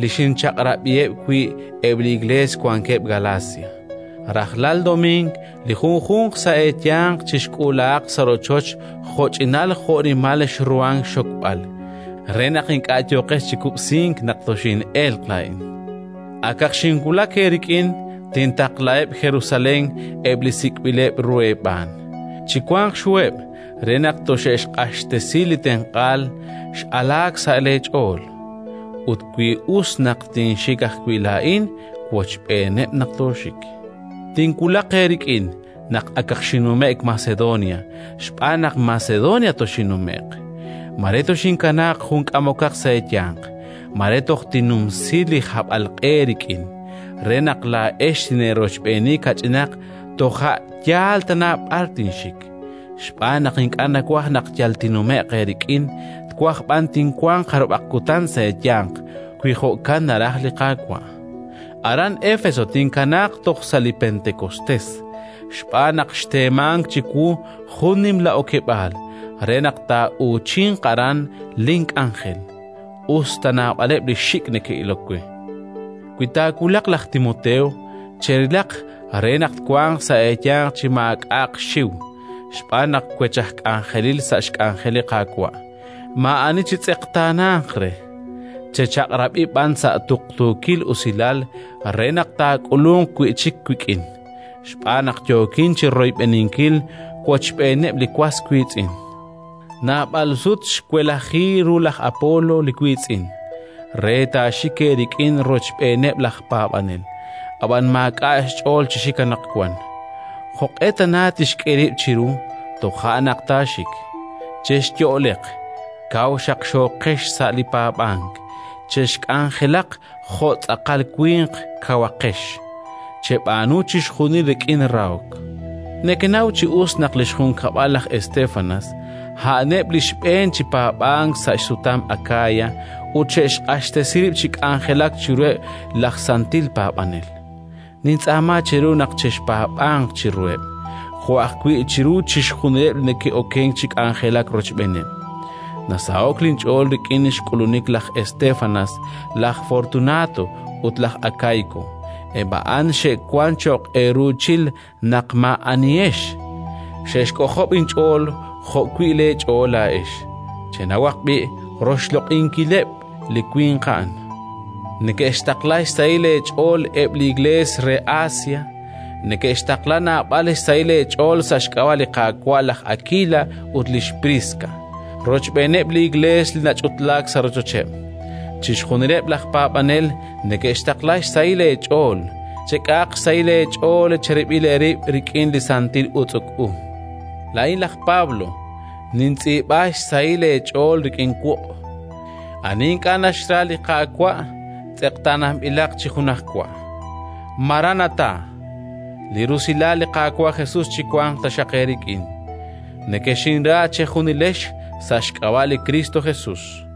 S2: li xinchaq'rab'iheb' wi' eb' li Iklees wankeb' Galacia. Rajlal domiing li junjunq sa' eeyanq chixk'uulahaq sa' rochoch jo'ch'inal jo'nimal xruhank xxokb'al, re naq ink'a' yooqex chi kub'sink naq toxin'elq laa'in. Akaq xinwulak eerik'in, tintaqlaheb' Jerusalén eb' li sik'b'ileb' ru eeb'aan. Chiwanq xhuheb' re naq toxe'xq'axtesi li tenq'aal x'alaak sa' leech'ool. Ut wi us naq tinxik ajwi' laa'in, wochb'eeneb' naq tooxik. Tinwulaq eerik'in naq akaq xinnume'k Macedonia, xb'aan naq Macedonia toxinnume'q. Mare toxinkanaaq jun k'amokaq sa' eeyanq, mare toj tinnumsi li hab'alq'e eerik'in, re naq laa'ex tineerochb'eeni kach'inaq toja' yaal tana b'ar tinxik. Xb'aan naq ink'a' nawaj naq yal tinnume'q eerik'in, twaj b'an tinwanq jarub'aq kutan sa' eeyanq, wi jo'kan naraj li Qaawa'. Aran Éfeso tinkanaaq toj sa' li Pentekostés, xb'aan naq xteemank chiwu jun nimla okeb'aal re naq taa'uuchinq aran link'anjel, us ta naab'aleb' li xik' neke'ilok we. Wi taawulaq laj Timoteo, cherilaq re naq twanq sa' eeyanq chi maak'a'aq xxiw, xb'aan naq wech aj k'anjelil sa' xk'anjel li Qaawa'. Maa'ani chitz'eqtaananq re. Chechaq'rab'i b'an sa' tuqtuukil usilal re naq taak'ulunq wi' chik wik'in, xb'aan naq yookin chi royb'eninkil wochb'eeneb' li was wiitz'in. Naab'al sut xwelaji ru laj Apolo li wiitz'in, re taaxik eerik'in rochb'eeneb' laj paab'anel, ab'an maak'a' xch'ool chi xik anaqwan. Jo'q'e tana tixk'e rib' chiru, toja' naq taaxik. Chexyo'leq, kaw xaqxooqex sa' li paab'ank, chexk'anjelaq jo' tz'aqal winq kawaqex, cheb'aanu chixjunil rik'in rahok. Nekenaw chi us naq li xjunkab'al laj Estéfanas a'aneb' li xb'een chi paab'ank sa' xsutam Akaya ut xe'xq'axtesi rib' chi k'anjelak chiruheb' laj santil paab'anel. Nintz'aama cheru naq chexpaab'anq chiruheb', jo' ajwi' chiru chixjunileb' li neke'okenk chi k'anjelak rochb'eeneb'. Nasaho'k linch'ool rik'in xk'ulunik laj Estéfanas, laj Fortunato ut laj Akaiko. Eb' a'an xe'wank cho'q eeruuchil naq maa'anihex. Xe'xk'ojob' inch'ool jo'wi' leech'ool laa'ex. Chenawaq b'i' roxloq'inkileb' li winq a'an. Neke'xtaqla xsahil eech'ool eb' li Iklees re Asia. Neke'xtaqla naab'al xsahil eech'ool sa' xk'ab'a' li Qaawa' laj Akila ut lix Priska, rochb'eeneb' li Iklees li nach'utlaak sa' rochocheb'. Chixjunileb' laj paab'anel neke'xtaqla xsahil eech'ool. Chek'ahaq xsahil eech'ool cherib'il eerib' rik'in li santil utz'uk u. Laa'in laj Pablo, nintz'iib'a xsahil eech'ool rik'in wuq'. Ani ink'a' naxra li Qaawa', tz'eqtaananb'ilaq chi junajwa. Maranatá. Li rusilal li Qaawa' Jesus chiwanq taxaq eerik'in. Nekexinra chejunilex sa' xk'ab'a' li Kristo Jesus.